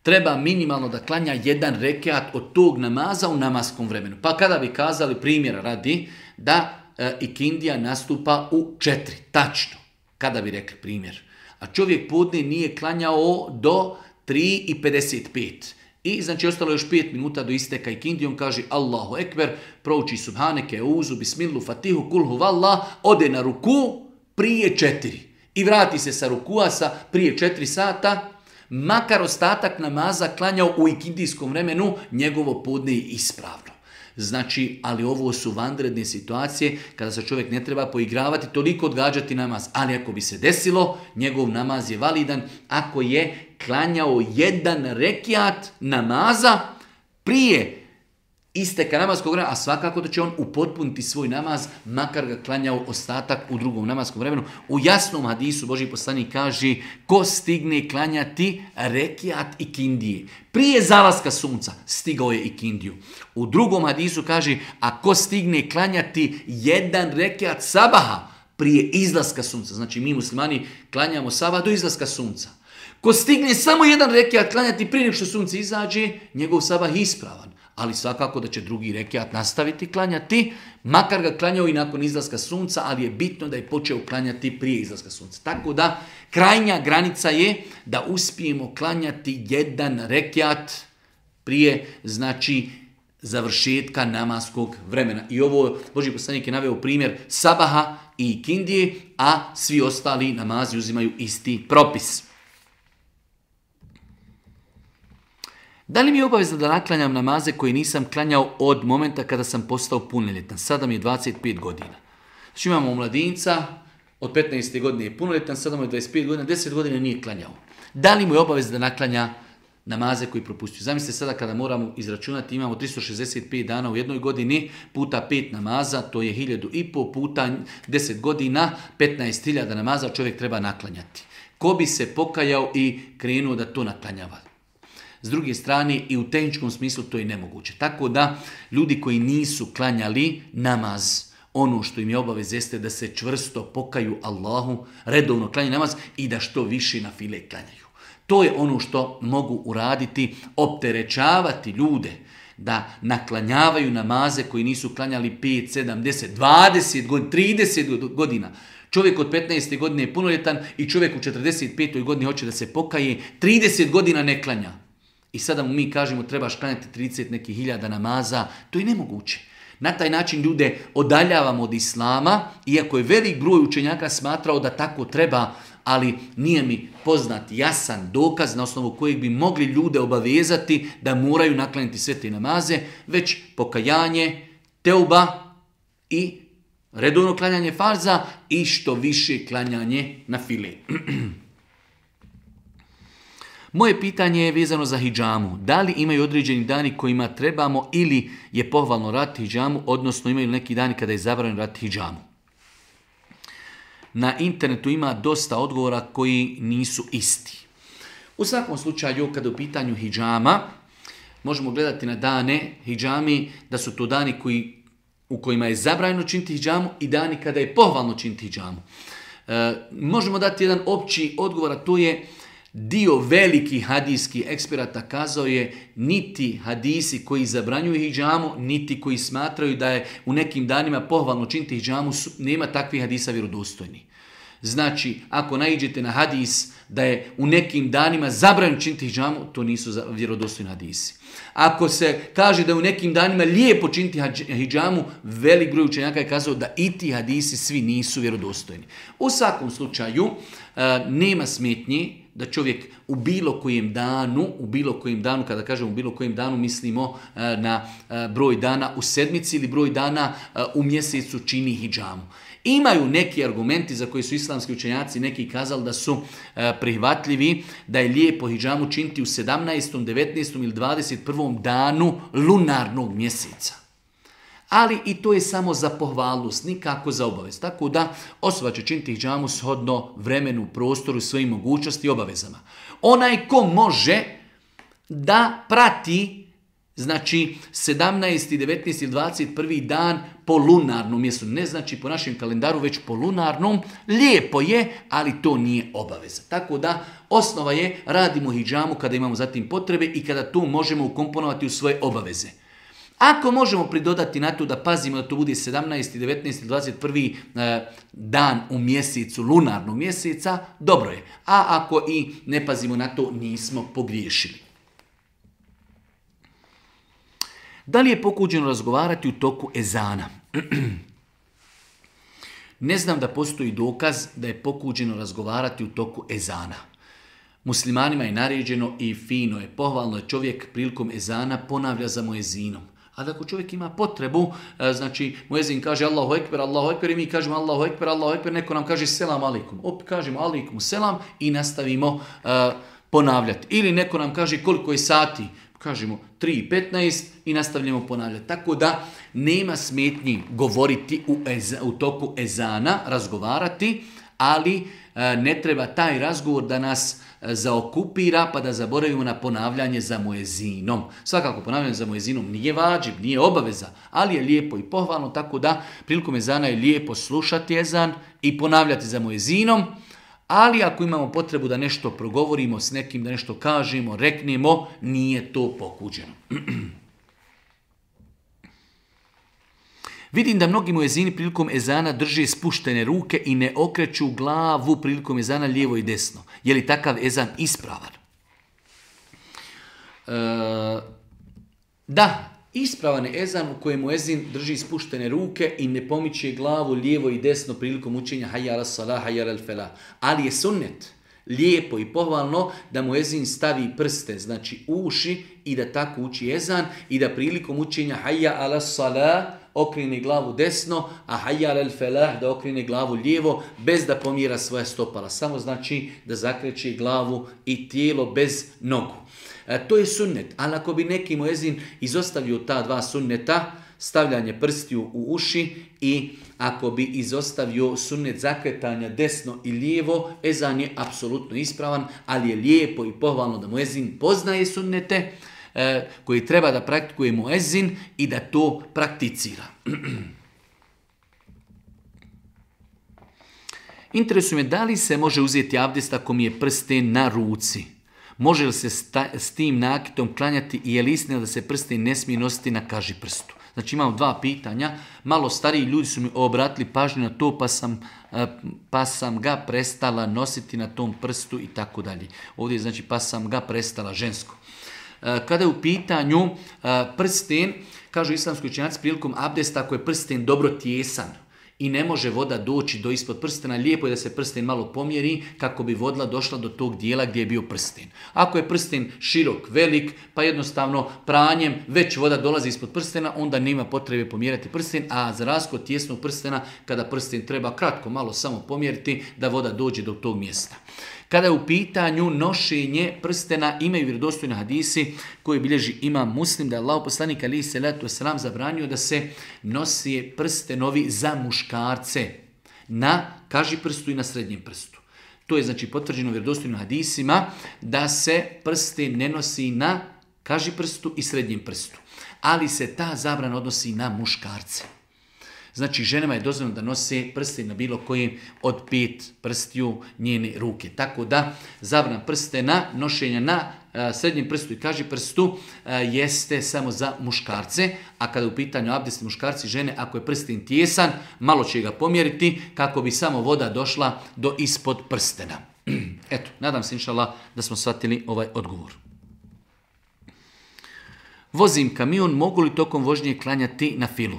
treba minimalno da klanja jedan rekiat od tog namaza u namaskom vremenu. Pa kada bi kazali, primjera radi, da e, ikindija nastupa u četiri, tačno, kada bi rekli primjer. A čovjek podne nije klanjao do tri i pedeset pet. I znači ostalo još pet minuta do isteka ikindije, on kaže Allahu ekber, prouči subhaneke, uzu, bismilu, fatihu, kulhu, vallah, ode na ruku prije četiri. I vrati se sa rukua sa prije četiri sata, makar ostatak namaza klanjao u ikindijskom vremenu, njegovo podne je ispravno. Znači, ali ovo su vanredne situacije kada se čovjek ne treba poigravati, toliko odgađati namaz. Ali ako bi se desilo, njegov namaz je validan ako je klanjao jedan rekiat namaza prije isteka namaskog vremena, a svakako da će on upotpuniti svoj namaz, makar ga klanjao ostatak u drugom namaskom vremenu. U jasnom hadisu Božji poslanik kaže, ko stigne klanjati rekiat ikindije prije zalaska sunca, stigao je ikindiju. U drugom hadisu kaže, a ko stigne klanjati jedan rekiat sabaha prije izlaska sunca, znači mi muslimani klanjamo sabah do izlaska sunca. Ko stigne samo jedan rekiat klanjati prije nego što sunce izađe, njegov sabah je ispravan. Ali svakako da će drugi rekiat nastaviti klanjati, makar ga klanjao i nakon izlaska sunca, ali je bitno da je počeo klanjati prije izlaska sunca. Tako da krajnja granica je da uspijemo klanjati jedan rekiat prije, znači, završetka namaskog vremena. I ovo Božji poslanik je naveo primjer sabaha i ikindije, a svi ostali namazi uzimaju isti propis. Da li mi je obavezno da naklanjam namaze koje nisam klanjao od momenta kada sam postao punoljetan? Sada mi je dvadeset pet godina. Znači imamo mladinca, od petnaeste godine je punoljetan, sada mu je dvadeset pet godina, deset godina nije klanjao. Da li mu je obavezno da naklanja namaze koji propustio? Zamislite sada kada moramo izračunati, imamo tristo šezdeset pet dana u jednoj godini, puta pet namaza, to je hiljadu i pol, puta deset godina, petnaest hiljada namaza čovjek treba naklanjati. Ko bi se pokajao i krenuo da to naklanjava? S druge strane, i u tehničkom smislu to je nemoguće. Tako da, ljudi koji nisu klanjali namaz, ono što im je obavez jeste da se čvrsto pokaju Allahu, redovno klanjaju namaz i da što više na file klanjaju. To je ono što mogu uraditi, opterećavati ljude da naklanjavaju namaze koji nisu klanjali pet, sedam, deset, dvadeset godina, trideset godina. Čovjek od petnaeste godine je punoljetan i čovjek u četrdeset petoj godini hoće da se pokaje, trideset godina ne klanja. I sada mu mi kažemo trebaš klanjati trideset nekih hiljada namaza, to je nemoguće. Na taj način ljude odaljavamo od islama, iako je velik broj učenjaka smatrao da tako treba, ali nije mi poznat jasan dokaz na osnovu kojeg bi mogli ljude obavezati da moraju naklanjati sve te namaze, već pokajanje, teuba i redovno klanjanje farza i što više klanjanje na file. Moje pitanje je vezano za hidžamu. Da li imaju određeni dani kojima trebamo ili je pohvalno raditi hidžamu, odnosno imaju neki dani kada je zabranjeno raditi hidžamu? Na internetu ima dosta odgovora koji nisu isti. U svakom slučaju, kada u pitanju hidžama, možemo gledati na dane hidžami, da su to dani koji, u kojima je zabranjeno činiti hidžamu i dani kada je pohvalno činiti hidžamu. E, možemo dati jedan opći odgovor, a to je dio velikih hadijskih eksperata kazao je niti hadisi koji zabranjuju hidžamu, niti koji smatraju da je u nekim danima pohvalno činiti hidžamu, nema takvih hadisa vjerodostojni. Znači, ako naiđete na hadis da je u nekim danima zabranjeno činiti hidžamu, to nisu vjerodostojni hadisi. Ako se kaže da je u nekim danima lijepo činiti hidžamu, velik broj učenjaka je kazao da i ti hadisi svi nisu vjerodostojni. U svakom slučaju, nema smetnji da čovjek u bilo kojem danu, u bilo kojem danu, kada kažemo u bilo kojem danu, mislimo na broj dana u sedmici ili broj dana u mjesecu čini hidžamu. Imaju neki argumenti za koji su islamski učenjaci neki kazali da su prihvatljivi, da je lijepo hidžamu činiti u sedamnaestom, devetnaestom ili dvadeset prvom danu lunarnog mjeseca. Ali i to je samo za pohvalnost, nikako za obavez. Tako da osoba će činiti hidžamu shodno vremenu, prostoru, svojim mogućnosti i obavezama. Onaj ko može da prati, znači sedamnaesti, devetnaesti ili dvadeset prvi dan po lunarnom mjesecu, ne znači po našem kalendaru, već po lunarnom, lijepo je, ali to nije obaveza. Tako da osnova je radimo hidžamu kada imamo zatim potrebe i kada tu možemo ukomponovati u svoje obaveze. Ako možemo pridodati na to da pazimo da to bude sedamnaesti, devetnaesti, dvadeset prvi dan u mjesecu, lunarnog mjeseca, dobro je. A ako i ne pazimo na to, nismo pogriješili. Da li je pokuđeno razgovarati u toku ezana? Ne znam da postoji dokaz da je pokuđeno razgovarati u toku ezana. Muslimanima je naređeno i fino je, pohvalno je čovjek prilikom ezana ponavlja za muezinom. Ali ako čovjek ima potrebu, znači muezin kaže Allahu ekber, Allahu ekber i mi kažemo Allahu ekber, Allahu ekber, neko nam kaže selam alikum. Opet kažemo alikum selam i nastavimo uh, ponavljati. Ili neko nam kaže koliko je sati, kažemo tri i petnaest i nastavljamo ponavljati. Tako da nema smetnji govoriti u, eza, u toku ezana, razgovarati, ali uh, ne treba taj razgovor da nas zaokupira pa da zaboravimo na ponavljanje za muezinom. Svakako ponavljanje za muezinom nije vađib, nije obaveza, ali je lijepo i pohvalno, tako da prilikom ezana je lijepo slušati ezan i ponavljati za muezinom, ali ako imamo potrebu da nešto progovorimo s nekim, da nešto kažemo, reknemo, nije to pokuđeno. Vidim da mnogi muezini prilikom ezana drže spuštene ruke i ne okreću glavu prilikom ezana lijevo i desno. Je li takav ezan ispravan? E, da, ispravan je ezan u kojem muezin drži spuštene ruke i ne pomiče glavu lijevo i desno prilikom učenja hayya ala salah, hayya ala felah. Ali je sunnet, lijepo i pohvalno da muezin stavi prste, znači uši i da tako uči ezan i da prilikom učenja hayya ala salah okrene glavu desno, a hayya ala felah da okrene glavu lijevo bez da pomjera svoja stopala. Samo znači da zakreće glavu i tijelo bez nogu. E, to je sunnet, ali ako bi neki muezin izostavio ta dva sunneta, stavljanje prstiju u uši i ako bi izostavio sunnet zakretanja desno i lijevo, ezan je apsolutno ispravan, ali je lijepo i pohvalno da muezin poznaje sunnete e, koji treba da praktikuje muezin i da to prakticira. Interesuje me da li se može uzeti abdest ako mi je prsten na ruci. Može li se sta, s tim nakitom klanjati i je li istina da se prsten ne smije nositi na kaži prstu? Znači imam dva pitanja, malo stariji ljudi su mi obratili pažnju na to pa sam, pa sam ga prestala nositi na tom prstu i tako dalje. Ovdje znači pa sam ga prestala žensko. Kada je u pitanju prsten, kažu islamski učenjaci prilikom abdesta ako je prsten dobro tijesan i ne može voda doći do ispod prstena, lijepo je da se prsten malo pomjeri kako bi voda došla do tog dijela gdje je bio prsten. Ako je prsten širok, velik, pa jednostavno pranjem već voda dolazi ispod prstena, onda nema potrebe pomjerati prsten, a za razliku od tijesnog prstena, kada prsten treba kratko malo samo pomjeriti da voda dođe do tog mjesta. Kada je u pitanju nošenje prstena, imaju vjerodostojni hadisi koji bilježi imam Muslim da je Allahov poslanik alejhi selatu vesselam zabranio da se nosi prstenovi za muškarce na kaži prstu i na srednjem prstu. To je znači potvrđeno vjerodostojnim hadisima da se prsten ne nosi na kaži prstu i srednjem prstu, ali se ta zabrana odnosi na muškarce. Znači, ženama je dozvoljeno da nose prsten na bilo kojem od pet prstiju njene ruke. Tako da, zabrana prstena, nošenja na a, srednjem prstu i kaži prstu a, jeste samo za muškarce, a kada u pitanju abdesti muškarci žene, ako je prsten tijesan, malo će ga pomjeriti kako bi samo voda došla do ispod prstena. Eto, nadam se inšallah da smo shvatili ovaj odgovor. Vozim kamion, mogu li tokom vožnje klanjati na filu?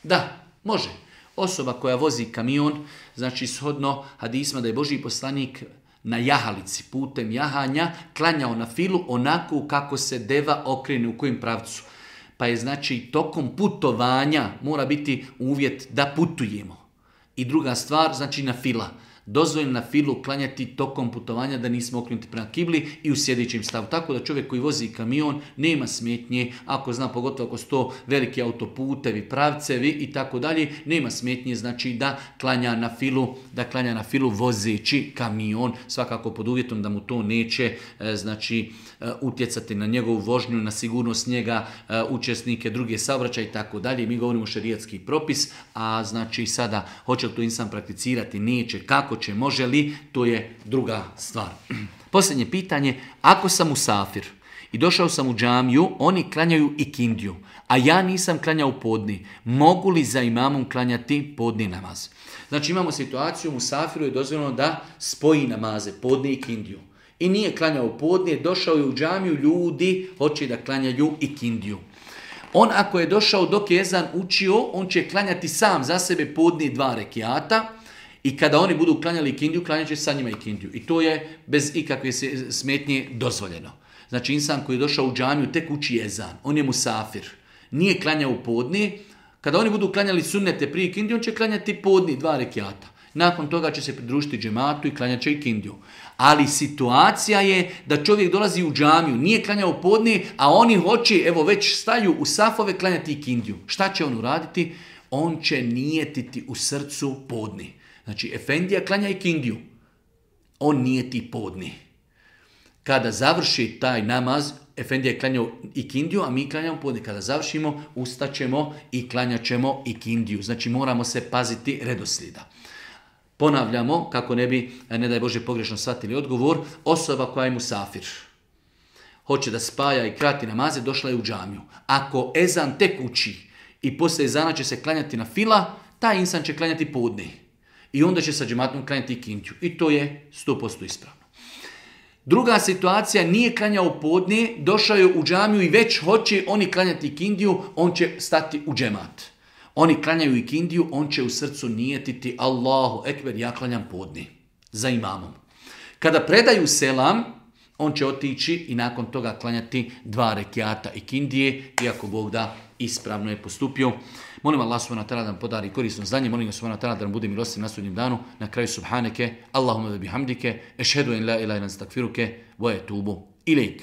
Da, može. Osoba koja vozi kamion, znači shodno hadisma da je Božji poslanik na jahalici, putem jahanja, klanjao na filu onako kako se deva okrene, u kojem pravcu. Pa je znači tokom putovanja mora biti uvjet da putujemo. I druga stvar, znači na fila. Dozvoljeno na filu klanjati tokom putovanja da nismo okrenuti prema kibli i u sjedećem stavu. Tako da čovjek koji vozi kamion nema smetnje, ako zna pogotovo ako su to veliki autoputevi, pravcevi i tako dalje, nema smetnje znači da klanja na filu, da klanja na filu vozeći kamion, svakako pod uvjetom da mu to neće znači utjecati na njegovu vožnju, na sigurnost njega, učesnike, druge saobraćaje i tako dalje. Mi govorimo šerijatski propis, a znači sada hoće li to insan prakticirati, neće, kako će, može li, to je druga stvar. Posljednje pitanje, ako sam musafir i došao sam u džamiju, oni klanjaju ikindiju, a ja nisam klanjao podni, mogu li za imamom klanjati podni namaz? Znači imamo situaciju, musafiru je dozvoljeno da spoji namaze, podni i ikindiju. I nije klanjao podni, došao je u džamiju, ljudi hoće da klanjaju ikindiju. On ako je došao dok je ezan učio, on će klanjati sam za sebe podni dva rekiata i kada oni budu klanjali ikindiju, klanjat će sa njima ikindiju. I to je bez ikakve smetnje dozvoljeno. Znači insan koji je došao u džamiju tek uči ezan, on je musafir, nije klanjao u podni. Kada oni budu klanjali sunnete prije ikindiju, on će klanjati podni dva rekiata. Nakon toga će se pridružiti džematu i klanjat će ikindiju. Ali situacija je da čovjek dolazi u džamiju, nije klanjao podni, a oni hoće, evo već staju u safove klanjati ikindiju. Šta će on uraditi? On će nijetiti u srcu podni. Znači, efendija klanja ikindiju. On nijeti podni. Kada završi taj namaz, efendija je klanjao ikindiju, a mi klanjamo podni. Kada završimo, ustaćemo i klanjat ćemo ikindiju. Znači, moramo se paziti redoslijeda. Ponavljamo, kako ne bi, ne daj Bože, pogrešno shvatili odgovor, osoba koja je musafir, hoće da spaja i krati namaze, došla je u džamiju. Ako ezan tek uči i poslije ezana će se klanjati na fila, taj insan će klanjati podni. I onda će sa džematom klanjati ikindiju. I to je sto posto ispravno. Druga situacija, nije klanjao podni, došao je u džamiju i već hoće oni klanjati ikindiju, on će stati u džemat. Oni klanjaju ikindiju, on će u srcu nijetiti Allahu ekber, ja klanjam podni za imamom. Kada predaju selam, on će otići i nakon toga klanjati dva rekiata ikindije, iako Bog da ispravno je postupio. Molim Allah subhanahu wa ta'ala da nam podari korisno znanje, molim ga subhanahu wa ta'ala da nam bude milostiv na sudnjem danu. Na kraju subhaneke, Allahumma ve bihamdike, ešhedu en la ilaha illa anta, astakfiruke, wa etubu ilejk.